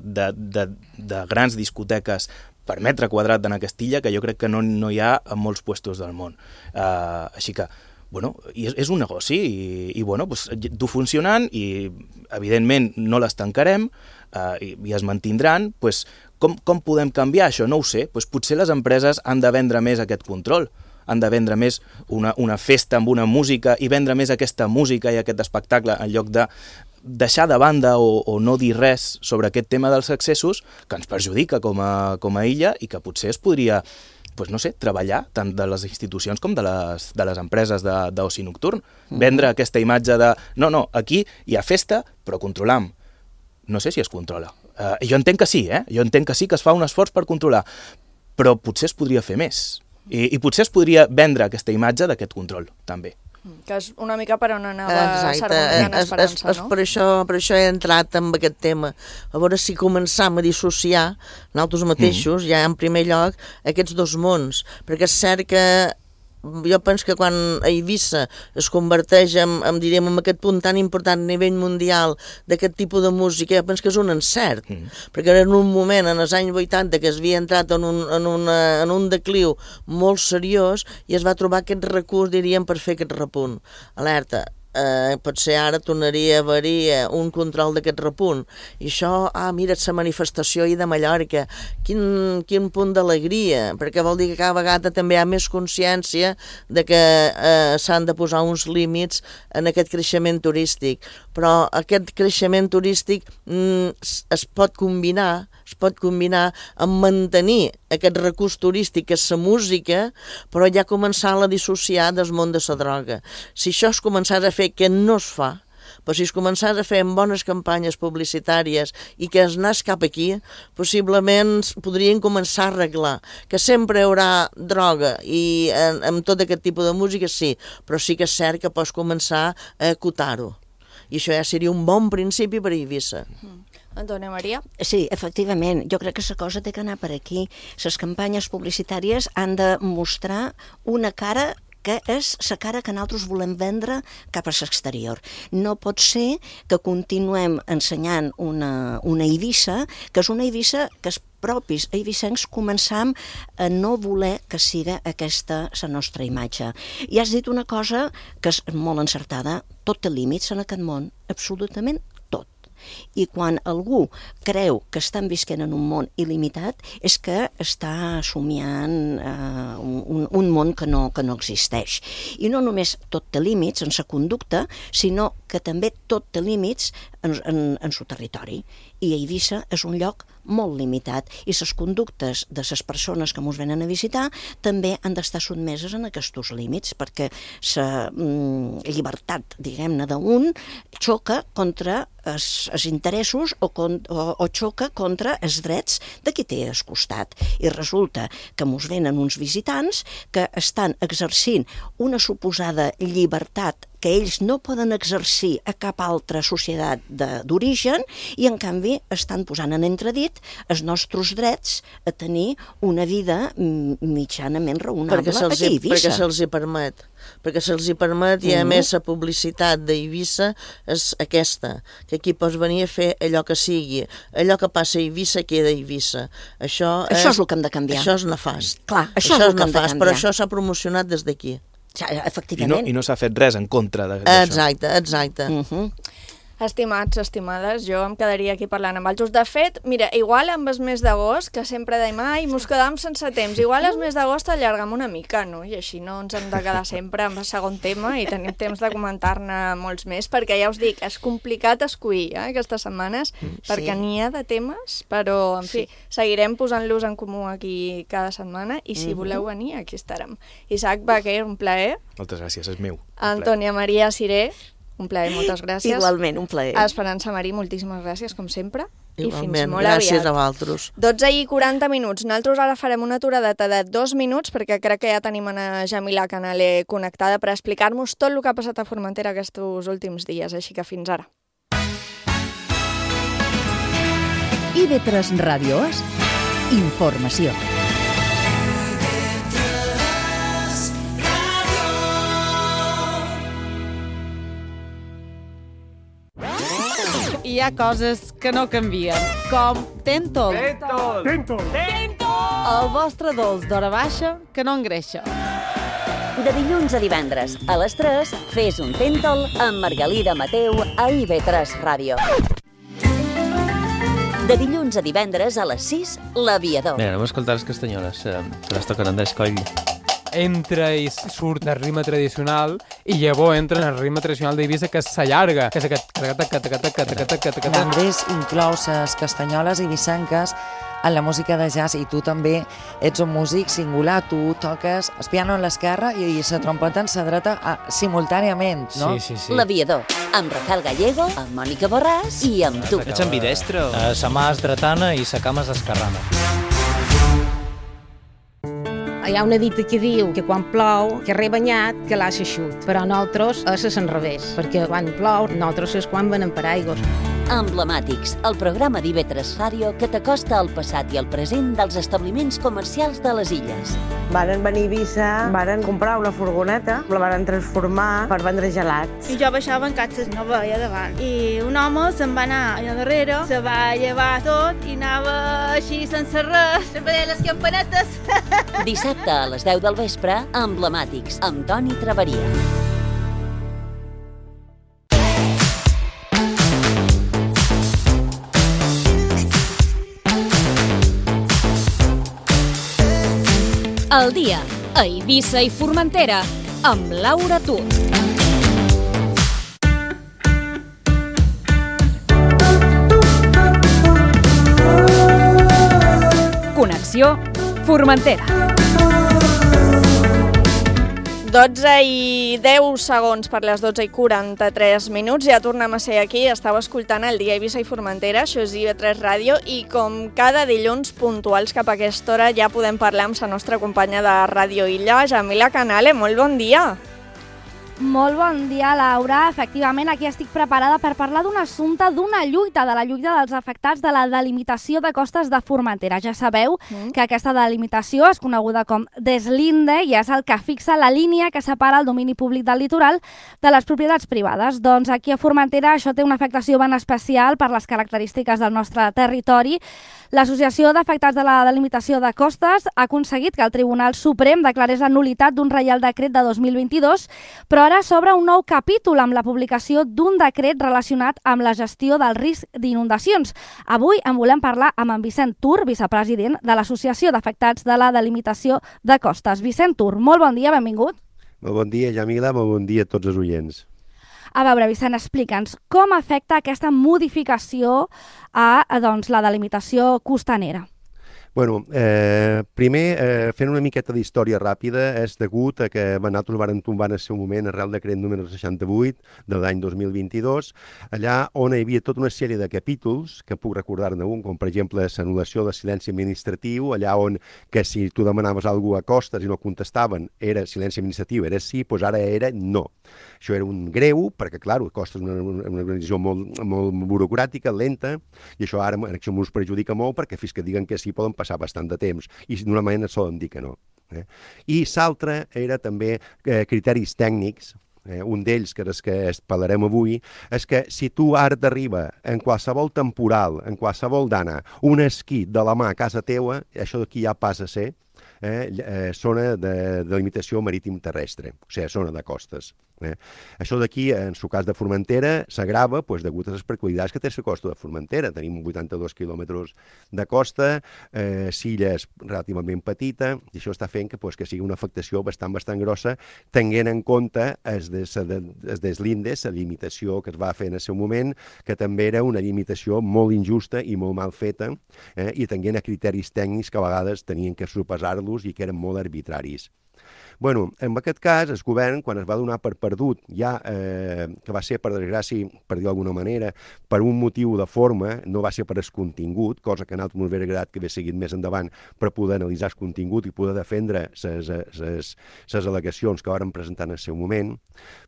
de, de, de grans discoteques per metre quadrat en aquesta illa que jo crec que no, no hi ha en molts puestos del món. Uh, així que, bueno, és, és un negoci i, i bueno, pues, du funcionant i evidentment no les tancarem uh, i, i es mantindran, pues, com, com podem canviar això? No ho sé, pues, potser les empreses han de vendre més aquest control, han de vendre més una, una festa amb una música i vendre més aquesta música i aquest espectacle en lloc de deixar de banda o, o no dir res sobre aquest tema dels excessos que ens perjudica com a, com a illa i que potser es podria, pues, no sé, treballar tant de les institucions com de les, de les empreses d'oci nocturn. Mm-hmm. Vendre aquesta imatge de no, no, aquí hi ha festa però controlam. No sé si es controla. Uh, jo entenc que sí, eh? Jo entenc que sí que es fa un esforç per controlar, però potser es podria fer més. I, i potser es podria vendre aquesta imatge d'aquest control, també. Que és una mica per on anava s'harmoniant Esperança, no? Per això, per això he entrat en aquest tema. A veure si començam a dissociar nosaltres mateixos, mm. ja en primer lloc, aquests dos mons. Perquè és cert que jo penso que quan a Eivissa es converteix en, en, diríem, en aquest punt tan important a nivell mundial d'aquest tipus de música, jo penso que és un encert, mm. perquè era en un moment, en els anys vuitanta, que es havia entrat en un, en, una, en un decliu molt seriós i es va trobar aquest recurs, diríem, per fer aquest repunt. Alerta, eh, potser ara tornaria a haver un control d'aquest repunt. I això, ah, mira, la manifestació ahir de Mallorca, quin, quin punt d'alegria, perquè vol dir que cada vegada també hi ha més consciència de que eh, s'han de posar uns límits en aquest creixement turístic. Però aquest creixement turístic mm, es pot combinar, es pot combinar amb mantenir aquest recurs turístic que és la música, però ja començar a dissociar del món de la droga. Si això es començar a fer, que no es fa, però si es començar a fer amb bones campanyes publicitàries i que es anés cap aquí, possiblement podrien començar a arreglar. Que sempre hi haurà droga i amb tot aquest tipus de música, sí, però sí que és cert que pots començar a acotar-ho. I això ja seria un bon principi per a Eivissa. Mm. Antònia Maria? Sí, efectivament. Jo crec que la cosa té que anar per aquí. Les campanyes publicitàries han de mostrar una cara que és la cara que nosaltres volem vendre cap a l'exterior. No pot ser que continuem ensenyant una, una Eivissa, que és una Eivissa que els propis eivissencs començam a no voler que siga aquesta la nostra imatge. I has dit una cosa que és molt encertada, tot té límits en aquest món, absolutament tot. I quan algú creu que estan visquent en un món il·limitat és que està somiant eh, un, un món que no, que no existeix. I no només tot té límits en sa conducta, sinó que també tot té límits en, en, en su territori. I Eivissa és un lloc molt limitat i les conductes de les persones que ens venen a visitar també han d'estar sotmeses en aquests límits, perquè la mm, llibertat, diguem-ne, d'un xoca contra els, els interessos o, con, o, o xoca contra els drets de qui té al costat. I resulta que ens venen uns visitants que estan exercint una suposada llibertat que ells no poden exercir a cap altra societat d'origen i, en canvi, estan posant en entredit els nostres drets a tenir una vida mitjanament raonable perquè aquí a Eivissa. Perquè se'ls hi permet. Perquè se'ls hi permet i, a més, la publicitat d'Eivissa és aquesta, que aquí pots venir a fer allò que sigui. Allò que passa a Eivissa queda a Eivissa. Això, això és el que hem de canviar. Això és nefast. Clar, això, això és el que hem de nefast, canviar. Però això s'ha promocionat des d'aquí. Ja, efectivament. I no, i no s'ha fet res en contra d'això. Exacte, exacte. Uh-huh. Estimats, estimades, jo em quedaria aquí parlant amb els. De fet, mira, igual amb el mes d'agost, que sempre deim, ai, mos quedam sense temps, igual el mes d'agost allargam una mica, no? I així no ens hem de quedar sempre amb el segon tema i tenim temps de comentar-ne molts més, perquè ja us dic, és complicat escollir eh, aquestes setmanes, sí. perquè n'hi ha de temes, però, en fi, sí. seguirem posant-los en comú aquí cada setmana i si uh-huh. voleu venir, aquí estarem. Isaac Baquer, un plaer. Moltes gràcies, és meu. Antònia Maria Ciré, un plaer, moltes gràcies. Igualment, un plaer. Esperança Marí, moltíssimes gràcies, com sempre. Igualment, i fins molt gràcies aviat. a vosaltres. dotze i quaranta minuts. Nosaltres ara farem una aturadeta de dos minuts perquè crec que ja tenim a Jamila Canale connectada per explicar-nos tot el que ha passat a Formentera aquests últims dies, així que fins ara. I ve tres Ràdios, informació. Hi ha coses que no canvien, com Tentol. Tentol! Tentol! Tentol! El vostre dolç d'hora baixa que no engreixa. De dilluns a divendres, a les tres, fes un Tentol amb Margalida Mateu a I V tres Ràdio. De dilluns a divendres, a les sis, L'Aviador. Bé, anem a escoltar les castanyoles, eh, que les toquen Andrés Coll. Entra i surt el ritme tradicional i llavors entra en el ritme tradicional d'Eivissa que s'allarga, que és aquest... L'Andrés inclou les castanyoles eivissenques en la música de jazz i tu també ets un músic singular, tu toques el piano en l'esquerra i la trompeta en la dreta simultàniament, no? Sí, sí, sí. L'Aviador, amb Rafael Gallego, amb Mònica Borràs i amb tu. Ets ambidestre? Uh, sa mà és dretana i sa cama és esquerrana. Hi ha una dita que diu que quan plou, que re banyat, que l'ha eixut. Però nosaltres és a l'enrevés, perquè quan plou, nosaltres és quan venem per aigües. Emblemàtics, el programa d'I V tres Ràdio que t'acosta al passat i al present dels establiments comercials de les illes. Varen venir a Eivissa, varen comprar una furgoneta, la varen transformar per vendre gelats. I jo baixava en catxes, no veia davant. I un home se'n va anar allà darrere, se va llevar tot i anava així sense res, sempre deia les campanetes. Dissabte a les deu del vespre, Emblemàtics, amb Toni Traveria. El dia, a Eivissa i Formentera, amb Laura Tut. informació, Formentera. dotze i deu segons per les dotze i quaranta-tres minuts. Ja tornem a ser aquí. Estava escoltant el Dia Eivissa i Formentera. Això és I V tres Ràdio. I com cada dilluns puntuals cap a aquesta hora ja podem parlar amb la nostra companya de Ràdio Illa, Jamila Canale. Molt bon dia. Molt bon dia, Laura. Efectivament, aquí estic preparada per parlar d'un assumpte, d'una lluita, de la lluita dels afectats de la delimitació de costes de Formentera. Ja sabeu mm. que aquesta delimitació és coneguda com deslinde i és el que fixa la línia que separa el domini públic del litoral de les propietats privades. Doncs aquí a Formentera això té una afectació ben especial per les característiques del nostre territori. L'Associació d'Afectats de la Delimitació de Costes ha aconseguit que el Tribunal Suprem declarés la nul·litat d'un Reial Decret de dos mil vint-i-dos, però ara s'obre un nou capítol amb la publicació d'un decret relacionat amb la gestió del risc d'inundacions. Avui en volem parlar amb en Vicent Tur, vicepresident de l'Associació d'Afectats de la Delimitació de Costes. Vicent Tur, molt bon dia, benvingut. Molt bon dia, Jamila, molt bon dia a tots els oients. A veure, Vicent, explica'ns com afecta aquesta modificació a doncs, la delimitació costanera. Bueno, eh, primer, eh, fent una miqueta d'història ràpida, és degut a que nosaltres vàrem tombar en el seu moment el Real Decret número seixanta-vuit de l'any dos mil vint-i-dos, allà on hi havia tota una sèrie de capítols, que puc recordar-ne un, com per exemple l'anul·lació de silenci administratiu, allà on que si tu demanaves alguna cosa a costes i no contestaven, era silenci administratiu, era sí, doncs ara era no. Això era un greu, perquè, clar, Costes és una, una organització molt, molt burocràtica, lenta, i això ara això ens perjudica molt, perquè fins que diguen que sí poden passar bastant de temps, i d'una manera solen dir que no. Eh? I l'altre era també eh, criteris tècnics. Eh, un d'ells, que és que parlarem avui, és que si tu ara t'arriba en qualsevol temporal, en qualsevol dana, un esquí de la mà a casa teua, això d'aquí ja passa a ser eh, eh, zona de, de limitació marítim terrestre, o sigui, zona de costes. Eh? Això d'aquí, en el cas de Formentera, s'agrava pues, degut a les peculiaritats que té la costa de Formentera. Tenim vuitanta-dos quilòmetres de costa, eh, l'illa és relativament petita, i això està fent que, pues, que sigui una afectació bastant, bastant grossa, tenint en compte els deslindes, la limitació que es va fer en el seu moment, que també era una limitació molt injusta i molt mal feta, eh, i tenint a criteris tècnics que a vegades tenien que sopesar-los i que eren molt arbitraris. Bueno, en aquest cas, el govern, quan es va donar per perdut, ja eh, que va ser, per desgràcia, per dir d'alguna manera, per un motiu de forma, no va ser per el contingut, cosa que a nosaltres m'hauria agradat que hagués seguit més endavant per poder analitzar el contingut i poder defendre les al·legacions que varen presentar en el seu moment,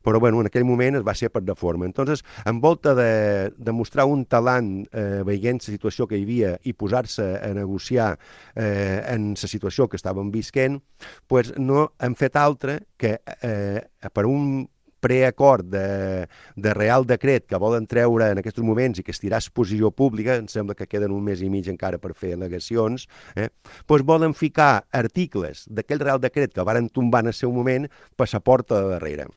però bueno, en aquell moment es va ser per de forma. Entonces, en volta de, de mostrar un talant eh, veient la situació que hi havia i posar-se a negociar eh, en la situació que estàvem visquent, pues no hem fet altre que eh, per un preacord de, de Real Decret que volen treure en aquests moments i que estirà a exposició pública, em sembla que queden un mes i mig encara per fer al·legacions, eh, doncs volen ficar articles d'aquell Real Decret que varen tombar en el seu moment per la porta de darrere.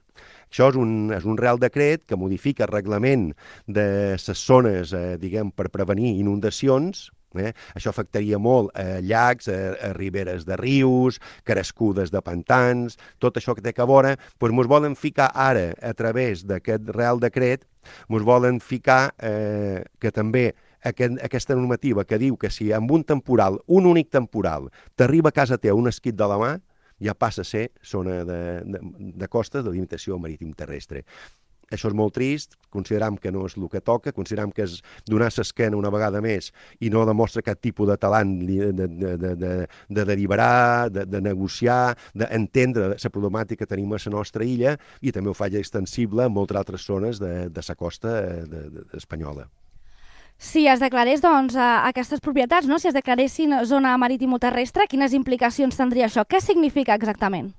Això és un, és un Real Decret que modifica el reglament de les zones, eh, diguem, per prevenir inundacions. Eh? Això afectaria molt a llacs, a, a riberes de rius, crescudes de pantans, tot això que té que veure, doncs ens volen ficar ara, a través d'aquest Real Decret, ens volen ficar eh, que també aquest, aquesta normativa que diu que si amb un temporal, un únic temporal, t'arriba a casa teva un esquit de la mà, ja passa a ser zona de, de, de costes de limitació marítim terrestre. Això és molt trist, consideram que no és el que toca, consideram que és donar l'esquena una vegada més i no demostra cap tipus de talant de, de, de, de, de deliberar, de, de negociar, d'entendre la problemàtica que tenim a la nostra illa i també ho fa extensible a moltes altres zones de, de la costa de, de, espanyola. Si es declarés doncs, aquestes propietats, no? Si es declaressin zona maritimoterrestre, quines implicacions tindria això? Què significa exactament?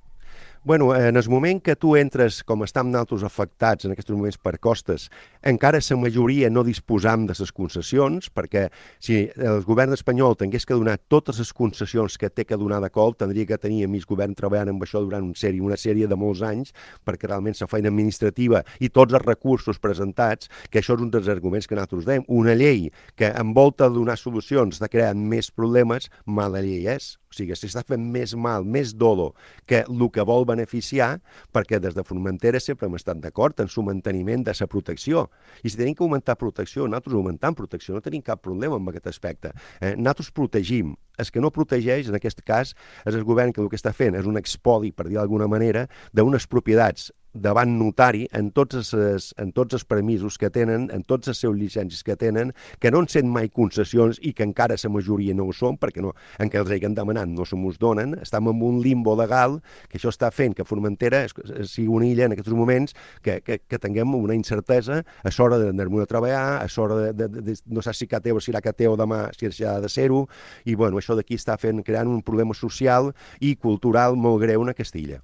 Bueno, en el moment que tu entres, com estem nosaltres afectats en aquests moments per costes, encara la majoria no disposam de les concessions, perquè si el govern espanyol tingués que donar totes les concessions que té que donar de col, tindria que tenir a mig govern treballant amb això durant una sèrie, una sèrie de molts anys, perquè realment la feina administrativa i tots els recursos presentats, que això és un dels arguments que nosaltres dèiem, una llei que envolta de donar solucions està creant més problemes, mala llei és. O sigui, s'està fent més mal, més dolo, que el que vol beneficiar perquè des de Formentera sempre hem estat d'acord en su manteniment de la protecció. I si tenim que augmentar protecció, nosaltres augmentant protecció, no tenim cap problema amb aquest aspecte. Eh, nosaltres protegim. El que no protegeix, en aquest cas, és el govern que el que està fent és un expoli, per dir d'alguna manera, d'unes propietats davant notari en tots els, en tots els permisos que tenen, en tots els seus llicències que tenen, que no han sent mai concessions i que encara la majoria no ho són, perquè no, en què els hagin demanat no se mos donen. Estem en un limbo legal que això està fent que Formentera sigui una illa en aquests moments que, que, que tinguem una incertesa a l'hora d'anar-me a treballar, a l'hora de, de, de, de, no sé si cateu o si serà cateu demà, si ha de ser-ho, i bueno, això d'aquí està fent, creant un problema social i cultural molt greu en aquesta illa.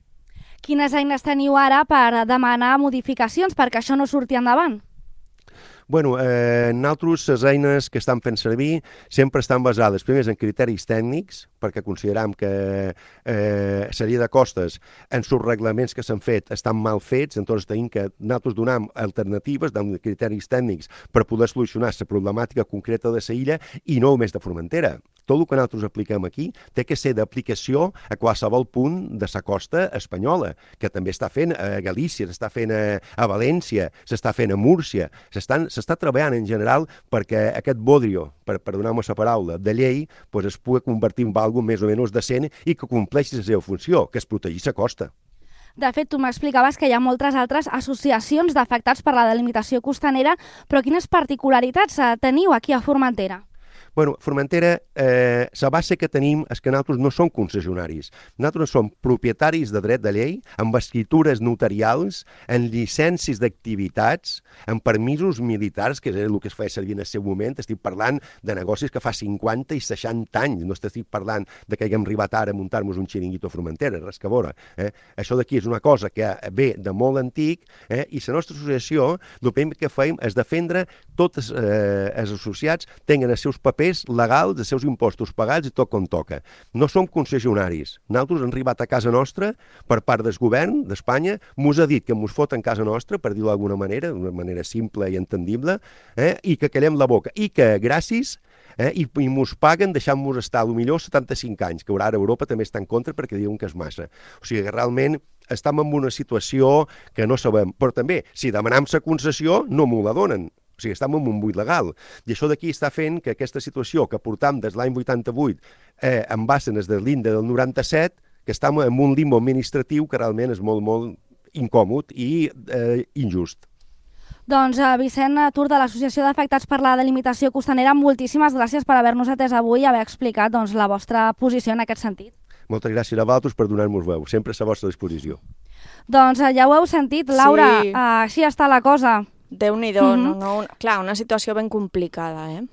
Quines eines teniu ara per demanar modificacions perquè això no surti endavant? Bueno, eh, nosaltres les eines que estan fent servir sempre estan basades, primers, en criteris tècnics, perquè consideram que eh, seria de costes en els reglaments que s'han fet estan mal fets, entonces tenim que nosaltres donem alternatives, donem criteris tècnics per poder solucionar la problemàtica concreta de la illa i no només de Formentera. Tot el que nosaltres apliquem aquí té que ser d'aplicació a qualsevol punt de la costa espanyola, que també està fent a Galícia, s'està fent a, a València, s'està fent a Múrcia, s'està treballant en general perquè aquest bodrio, per, per donar-me la paraula, de llei, pues es pugui convertir en algo més o menys decent i que compleixi la seva funció, que és protegir la costa. De fet, tu m'explicaves que hi ha moltes altres associacions d'afectats per la delimitació costanera, però quines particularitats teniu aquí a Formentera? Bueno, Formentera, eh, la base que tenim és que nosaltres no som concessionaris. Nosaltres som propietaris de dret de llei, amb escritures notarials, en llicències d'activitats, en permisos militars, que és el que es feia servir en el seu moment. Estic parlant de negocis que fa cinquanta i seixanta anys. No estic parlant de que haguem arribat ara a muntar-nos un xiringuito a Formentera, res que veure. Eh? Això d'aquí és una cosa que ve de molt antic, eh? I la nostra associació, el primer que fem és defendre tots eh, els associats tenen els seus papers legals, els seus impostos pagats i tot com toca. No som concessionaris. Nosaltres hem arribat a casa nostra per part del govern d'Espanya, mos ha dit que mos foten casa nostra, per dir-ho d'alguna manera, d'una manera simple i entendible, eh, i que callem la boca. I que gràcies eh, i, i mos paguen deixant-nos estar, potser setanta-cinc anys, que ara a Europa també està en contra perquè diuen que és massa. O sigui que realment estem en una situació que no sabem. Però també, si demanem la concessió, no m'ho la donen. O sigui, estem en un buit legal. I això d'aquí està fent que aquesta situació que portam des l'any vuitanta-vuit eh, en base des de l'Inde del noranta-set, que estem en un limbo administratiu que realment és molt, molt incòmod i eh, injust. Doncs uh, Vicent Tur, de l'Associació d'Afectats per la Delimitació Costanera, moltíssimes gràcies per haver-nos atès avui i haver explicat doncs, la vostra posició en aquest sentit. Moltes gràcies a vosaltres per donar-nos veu, sempre a la vostra disposició. Doncs uh, ja ho heu sentit, Laura, Sí. uh, així està la cosa. Déu-n'hi-do, Mhm. no, no, una- clar, una situació ben complicada, eh?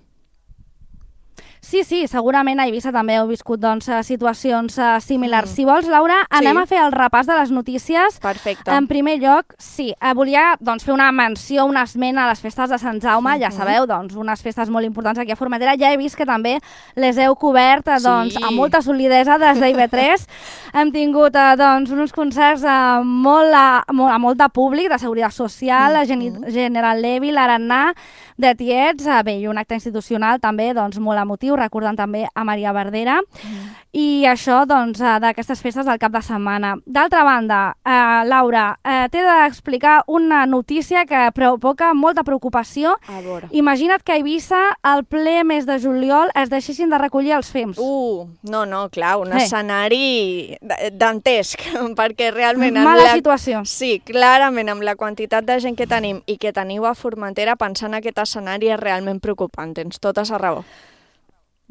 Sí, sí, segurament a Eivissa també heu viscut doncs, eh, situacions eh, similars. Mm. Si vols, Laura, anem Sí. a fer el repàs de les notícies. Perfecte. En primer lloc, sí, eh, volia doncs, fer una menció, una esmena a les festes de Sant Jaume, ja Mhm. sabeu, doncs, unes festes molt importants aquí a Formentera. Ja he vist que també les heu cobert eh, doncs, Sí. amb molta solidesa des d'I V tres. Hem tingut eh, doncs, uns concerts eh, molt, a, molt, a molt de públic, de Seguretat Social, mm -hmm. General Levy, l'Arannà, de Tiets, eh, bé, i un acte institucional també doncs, molt emotiu, recordant també a Maria Verdera, mm. i això doncs, eh, d'aquestes festes del cap de setmana. D'altra banda, eh, Laura, eh, t'he d'explicar una notícia que provoca molta preocupació. A veure. Imagina't que a Eivissa, al ple mes de juliol, es deixessin de recollir els fems. Uh, no, no, clar, un Eh. escenari d- dantesc, perquè realment... amb Mala la... situació. Sí, clarament, amb la quantitat de gent que tenim i que teniu a Formentera, pensar en aquest escenari és realment preocupant, tens tota la raó.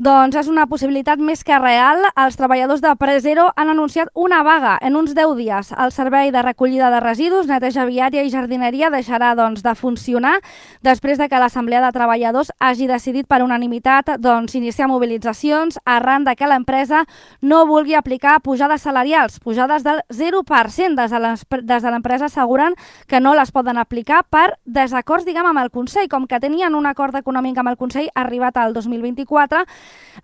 Doncs és una possibilitat més que real. Els treballadors de Presero han anunciat una vaga en uns deu dies. El servei de recollida de residus, neteja viària i jardineria deixarà doncs, de funcionar després de que l'Assemblea de Treballadors hagi decidit per unanimitat doncs, iniciar mobilitzacions arran de que l'empresa no vulgui aplicar pujades salarials, pujades del zero per cent. Des de l'empresa asseguren que no les poden aplicar per desacords, diguem, amb el Consell. Com que tenien un acord econòmic amb el Consell arribat al dos mil vint-i-quatre,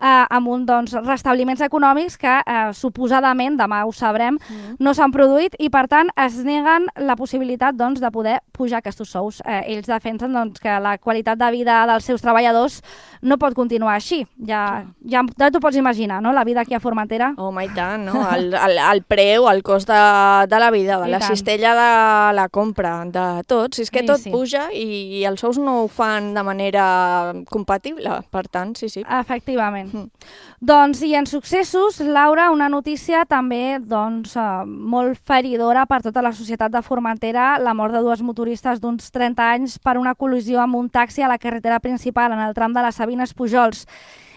eh, amb un, doncs, restabliments econòmics que eh, suposadament, demà ho sabrem, mm. no s'han produït i per tant es neguen la possibilitat doncs, de poder pujar aquests sous. Eh, ells defensen doncs, que la qualitat de vida dels seus treballadors no pot continuar així. Ja, ja, ja t'ho pots imaginar, no?, la vida aquí a Formentera. Home, i tant, no? El, el, el preu, el cost de, de la vida, de I la tant. cistella de la compra, de tot. Si és que sí, tot sí. puja i, i els sous no ho fan de manera compatible, per tant, sí, sí. Efectivament. Mm. Doncs, i en successos, Laura, una notícia també doncs, eh, molt feridora per tota la societat de Formentera, la mort de dues motoristes d'uns trenta anys per una col·lisió amb un taxi a la carretera principal en el tram de les Sabines Pujols.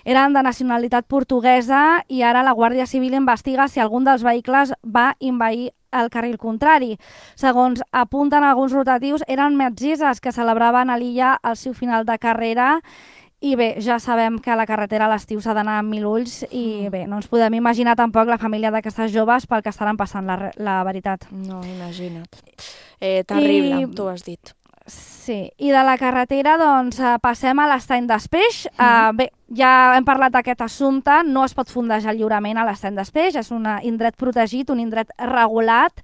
Eren de nacionalitat portuguesa i ara la Guàrdia Civil investiga si algun dels vehicles va envair el carril contrari. Segons apunten alguns rotatius, eren metgesses que celebraven a l'illa el seu final de carrera i bé, ja sabem que a la carretera a l'estiu s'ha d'anar amb mil ulls i bé, no ens podem imaginar tampoc la família d'aquestes joves pel que estaran passant, la, la veritat. No, imagina't. Eh, terrible, I... tu has dit. Sí, i de la carretera doncs passem a l'estany d'Espeix. Mm. Uh, bé, ja hem parlat d'aquest assumpte, no es pot fondejar lliurement a l'estany d'Espeix, és un indret protegit, un indret regulat,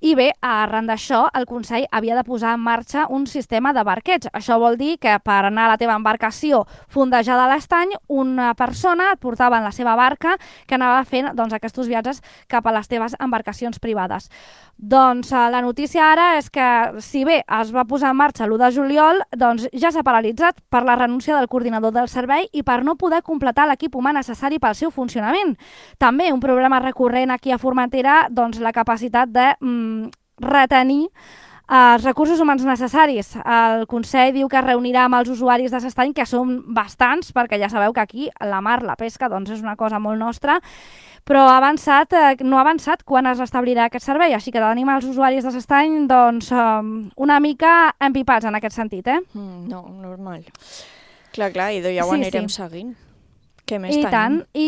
i bé, arran d'això, el Consell havia de posar en marxa un sistema de barqueig. Això vol dir que per anar a la teva embarcació fondejada a l'estany, una persona et portava en la seva barca que anava fent doncs, aquests viatges cap a les teves embarcacions privades. Doncs la notícia ara és que, si bé es va posar en marxa l'u de juliol, doncs ja s'ha paralitzat per la renúncia del coordinador del servei i per no poder completar l'equip humà necessari pel seu funcionament. També un problema recurrent aquí a Formentera, doncs la capacitat de mm, retenir els recursos humans necessaris. El Consell diu que es reunirà amb els usuaris de l'estany, que són bastants, perquè ja sabeu que aquí la mar, la pesca, doncs és una cosa molt nostra, però ha avançat, eh, no ha avançat quan es restablirà aquest servei, així que tenim els usuaris de l'estany doncs, um, una mica empipats en aquest sentit. Eh? Mm, no, normal. Clar, clar, i ja ho sí, anirem sí. seguint. Què més I tenim? Tant, i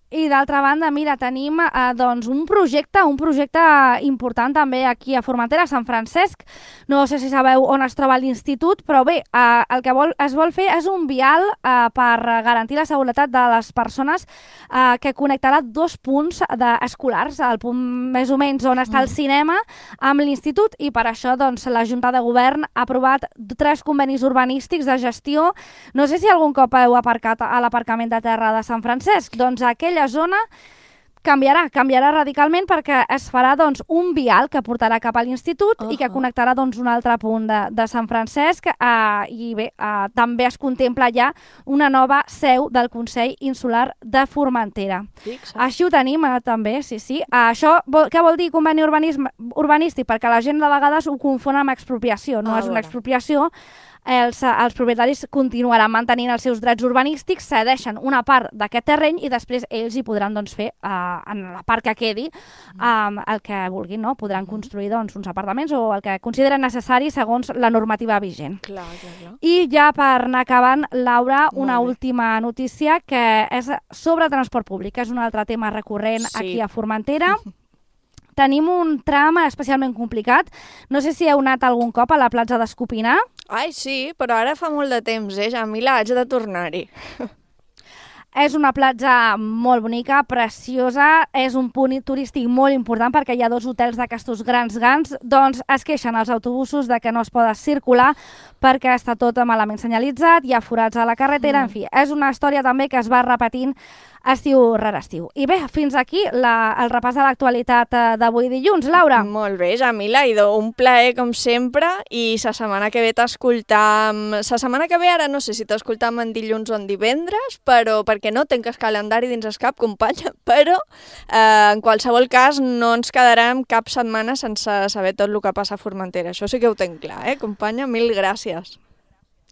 I d'altra banda, mira, tenim eh, doncs un projecte, un projecte important també aquí a Formentera, a Sant Francesc. No sé si sabeu on es troba l'institut, però bé, eh, el que vol, es vol fer és un vial eh, per garantir la seguretat de les persones eh, que connectarà dos punts escolars, el punt més o menys on està el cinema amb l'institut, i per això doncs, la Junta de Govern ha aprovat tres convenis urbanístics de gestió. No sé si algun cop heu aparcat a l'aparcament de terra de Sant Francesc, doncs aquell la zona canviarà, canviarà radicalment perquè es farà doncs, un vial que portarà cap a l'institut uh -huh. i que connectarà doncs, un altre punt de, de Sant Francesc eh, i bé, eh, també es contempla ja una nova seu del Consell Insular de Formentera. Fixa. Així ho tenim eh, també, sí, sí. Eh, això vol, què vol dir conveni urbanístic? Perquè la gent de vegades ho confon amb expropiació, no ah, és una expropiació. Els, els propietaris continuaran mantenint els seus drets urbanístics, cedeixen una part d'aquest terreny i després ells hi podran doncs, fer, uh, en la part que quedi, um, el que vulguin, no? Podran construir doncs, uns apartaments o el que consideren necessari segons la normativa vigent. Clar, clar, clar. I ja per anar acabant, Laura, una última notícia que és sobre transport públic, que és un altre tema recurrent sí. aquí a Formentera. Tenim un tram especialment complicat. No sé si heu anat algun cop a la platja d'Escopinar. Ai, sí, però ara fa molt de temps, eh? Ja a mi l'haig de tornar-hi. És una platja molt bonica, preciosa, és un punt turístic molt important perquè hi ha dos hotels d'aquestos grans gans, doncs es queixen els autobusos de que no es poden circular perquè està tot malament senyalitzat, hi ha forats a la carretera, mm. en fi, és una història també que es va repetint estiu rere estiu. I bé, fins aquí la, el repàs de l'actualitat d'avui dilluns. Laura. Molt bé, Jamila, idò, un plaer com sempre, i la setmana que ve t'escoltam... La setmana que ve ara no sé si t'escoltam en dilluns o en divendres, però perquè no tenc el calendari dins el cap, companya, però eh, en qualsevol cas no ens quedarem cap setmana sense saber tot el que passa a Formentera. Això sí que ho tenc clar, eh, companya? Mil gràcies.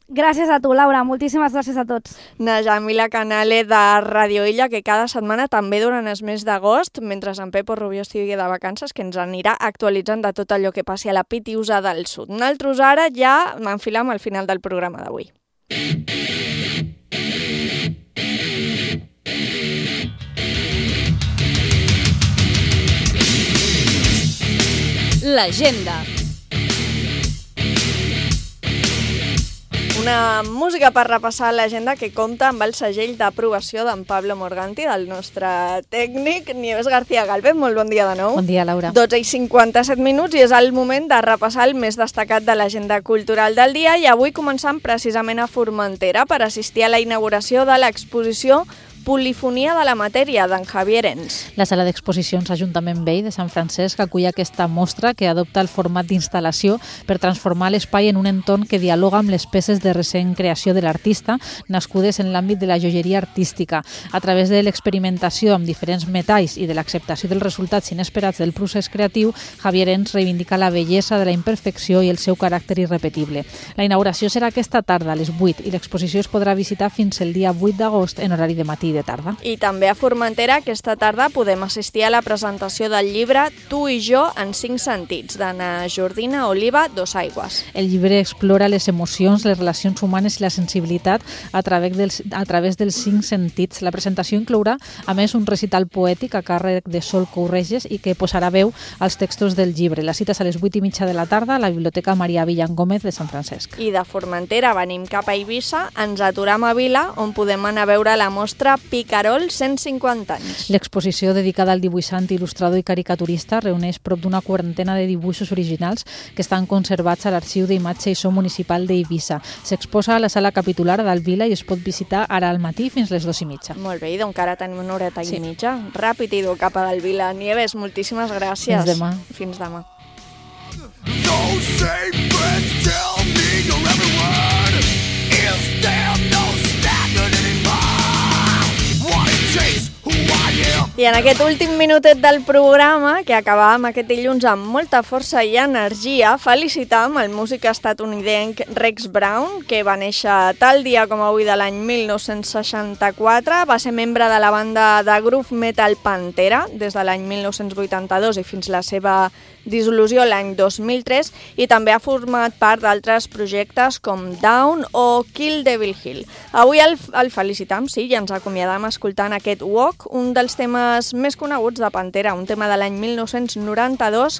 Gràcies a tu, Laura. Moltíssimes gràcies a tots. Na Jamila Canale de Radio Illa, que cada setmana també durant el mes d'agost, mentre en Pepo Rubió estigui de vacances, que ens anirà actualitzant de tot allò que passi a la Pitiusa del Sud. Nosaltres ara ja m'enfilam al final del programa d'avui. L'agenda. una música per repassar l'agenda que compta amb el segell d'aprovació d'en Pablo Morganti, del nostre tècnic, Nieves García Galvez. Molt bon dia de nou. Bon dia, Laura. dotze i cinquanta-set minuts i és el moment de repassar el més destacat de l'agenda cultural del dia, i avui començant precisament a Formentera per assistir a la inauguració de l'exposició Polifonia de la matèria, d'en Javier Ens. La sala d'exposicions Ajuntament Vell de Sant Francesc acull aquesta mostra que adopta el format d'instal·lació per transformar l'espai en un entorn que dialoga amb les peces de recent creació de l'artista, nascudes en l'àmbit de la joieria artística. A través de l'experimentació amb diferents metalls i de l'acceptació dels resultats inesperats del procés creatiu, Javier Ens reivindica la bellesa de la imperfecció i el seu caràcter irrepetible. La inauguració serà aquesta tarda a les vuit i l'exposició es podrà visitar fins el dia vuit d'agost en horari de matí de tarda. I també a Formentera aquesta tarda podem assistir a la presentació del llibre Tu i jo en cinc sentits, d'Anna Jordina Oliva Dosaigües. El llibre explora les emocions, les relacions humanes i la sensibilitat a través dels, a través dels cinc sentits. La presentació inclourà, a més, un recital poètic a càrrec de Sol Courreges i que posarà veu als textos del llibre. La cita és a les vuit i mitja de la tarda a la Biblioteca Maria Villan Gómez de Sant Francesc. I de Formentera venim cap a Eivissa, ens aturam a Vila, on podem anar a veure la mostra Picarol cent cinquanta anys. L'exposició dedicada al dibuixant, il·lustrador i caricaturista reuneix prop d'una quarantena de dibuixos originals que estan conservats a l'Arxiu d'Imatge i So Municipal d'Eivissa. S'exposa a la sala capitular d'Alvila i es pot visitar ara al matí fins les dues i mitja. Molt bé, i doncs encara tenim una horeta Sí. i mitja. Ràpid i dur cap a Alvila. Nieves, moltíssimes gràcies. Fins demà. Fins demà. I en aquest últim minutet del programa, que acabàvem aquest dilluns amb molta força i energia, felicitam el músic estatunidenc Rex Brown, que va néixer tal dia com avui de l'any mil nou-cents seixanta-quatre. Va ser membre de la banda de groove metal Pantera des de l'any mil nou-cents vuitanta-dos i fins la seva dissolució l'any dos mil tres, i també ha format part d'altres projectes com Down o Kill Devil Hill. Avui el, el felicitam, sí, i ens acomiadam escoltant aquest Walk, un dels temes més coneguts de Pantera, un tema de l'any mil nou-cents noranta-dos,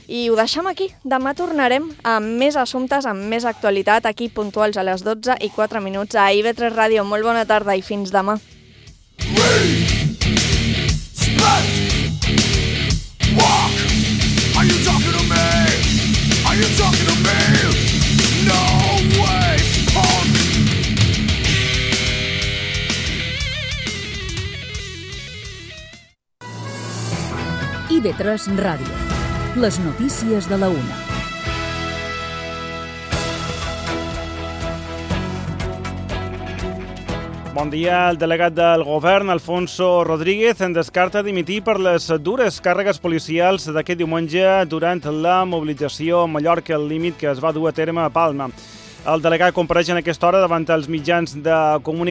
i ho deixem aquí. Demà tornarem amb més assumptes, amb més actualitat, aquí puntuals a les dotze i quatre minuts a I V tres Ràdio. Molt bona tarda i fins demà. Are you talking to me? Are you talking to me? No way, punk! I V tres Ràdio. Les notícies de la una. Bon dia. El delegat del govern, Alfonso Rodríguez, en descarta dimitir per les dures càrregues policials d'aquest diumenge durant la mobilització a Mallorca al límit que es va dur a terme a Palma. El delegat compareix en aquesta hora davant els mitjans de comunicació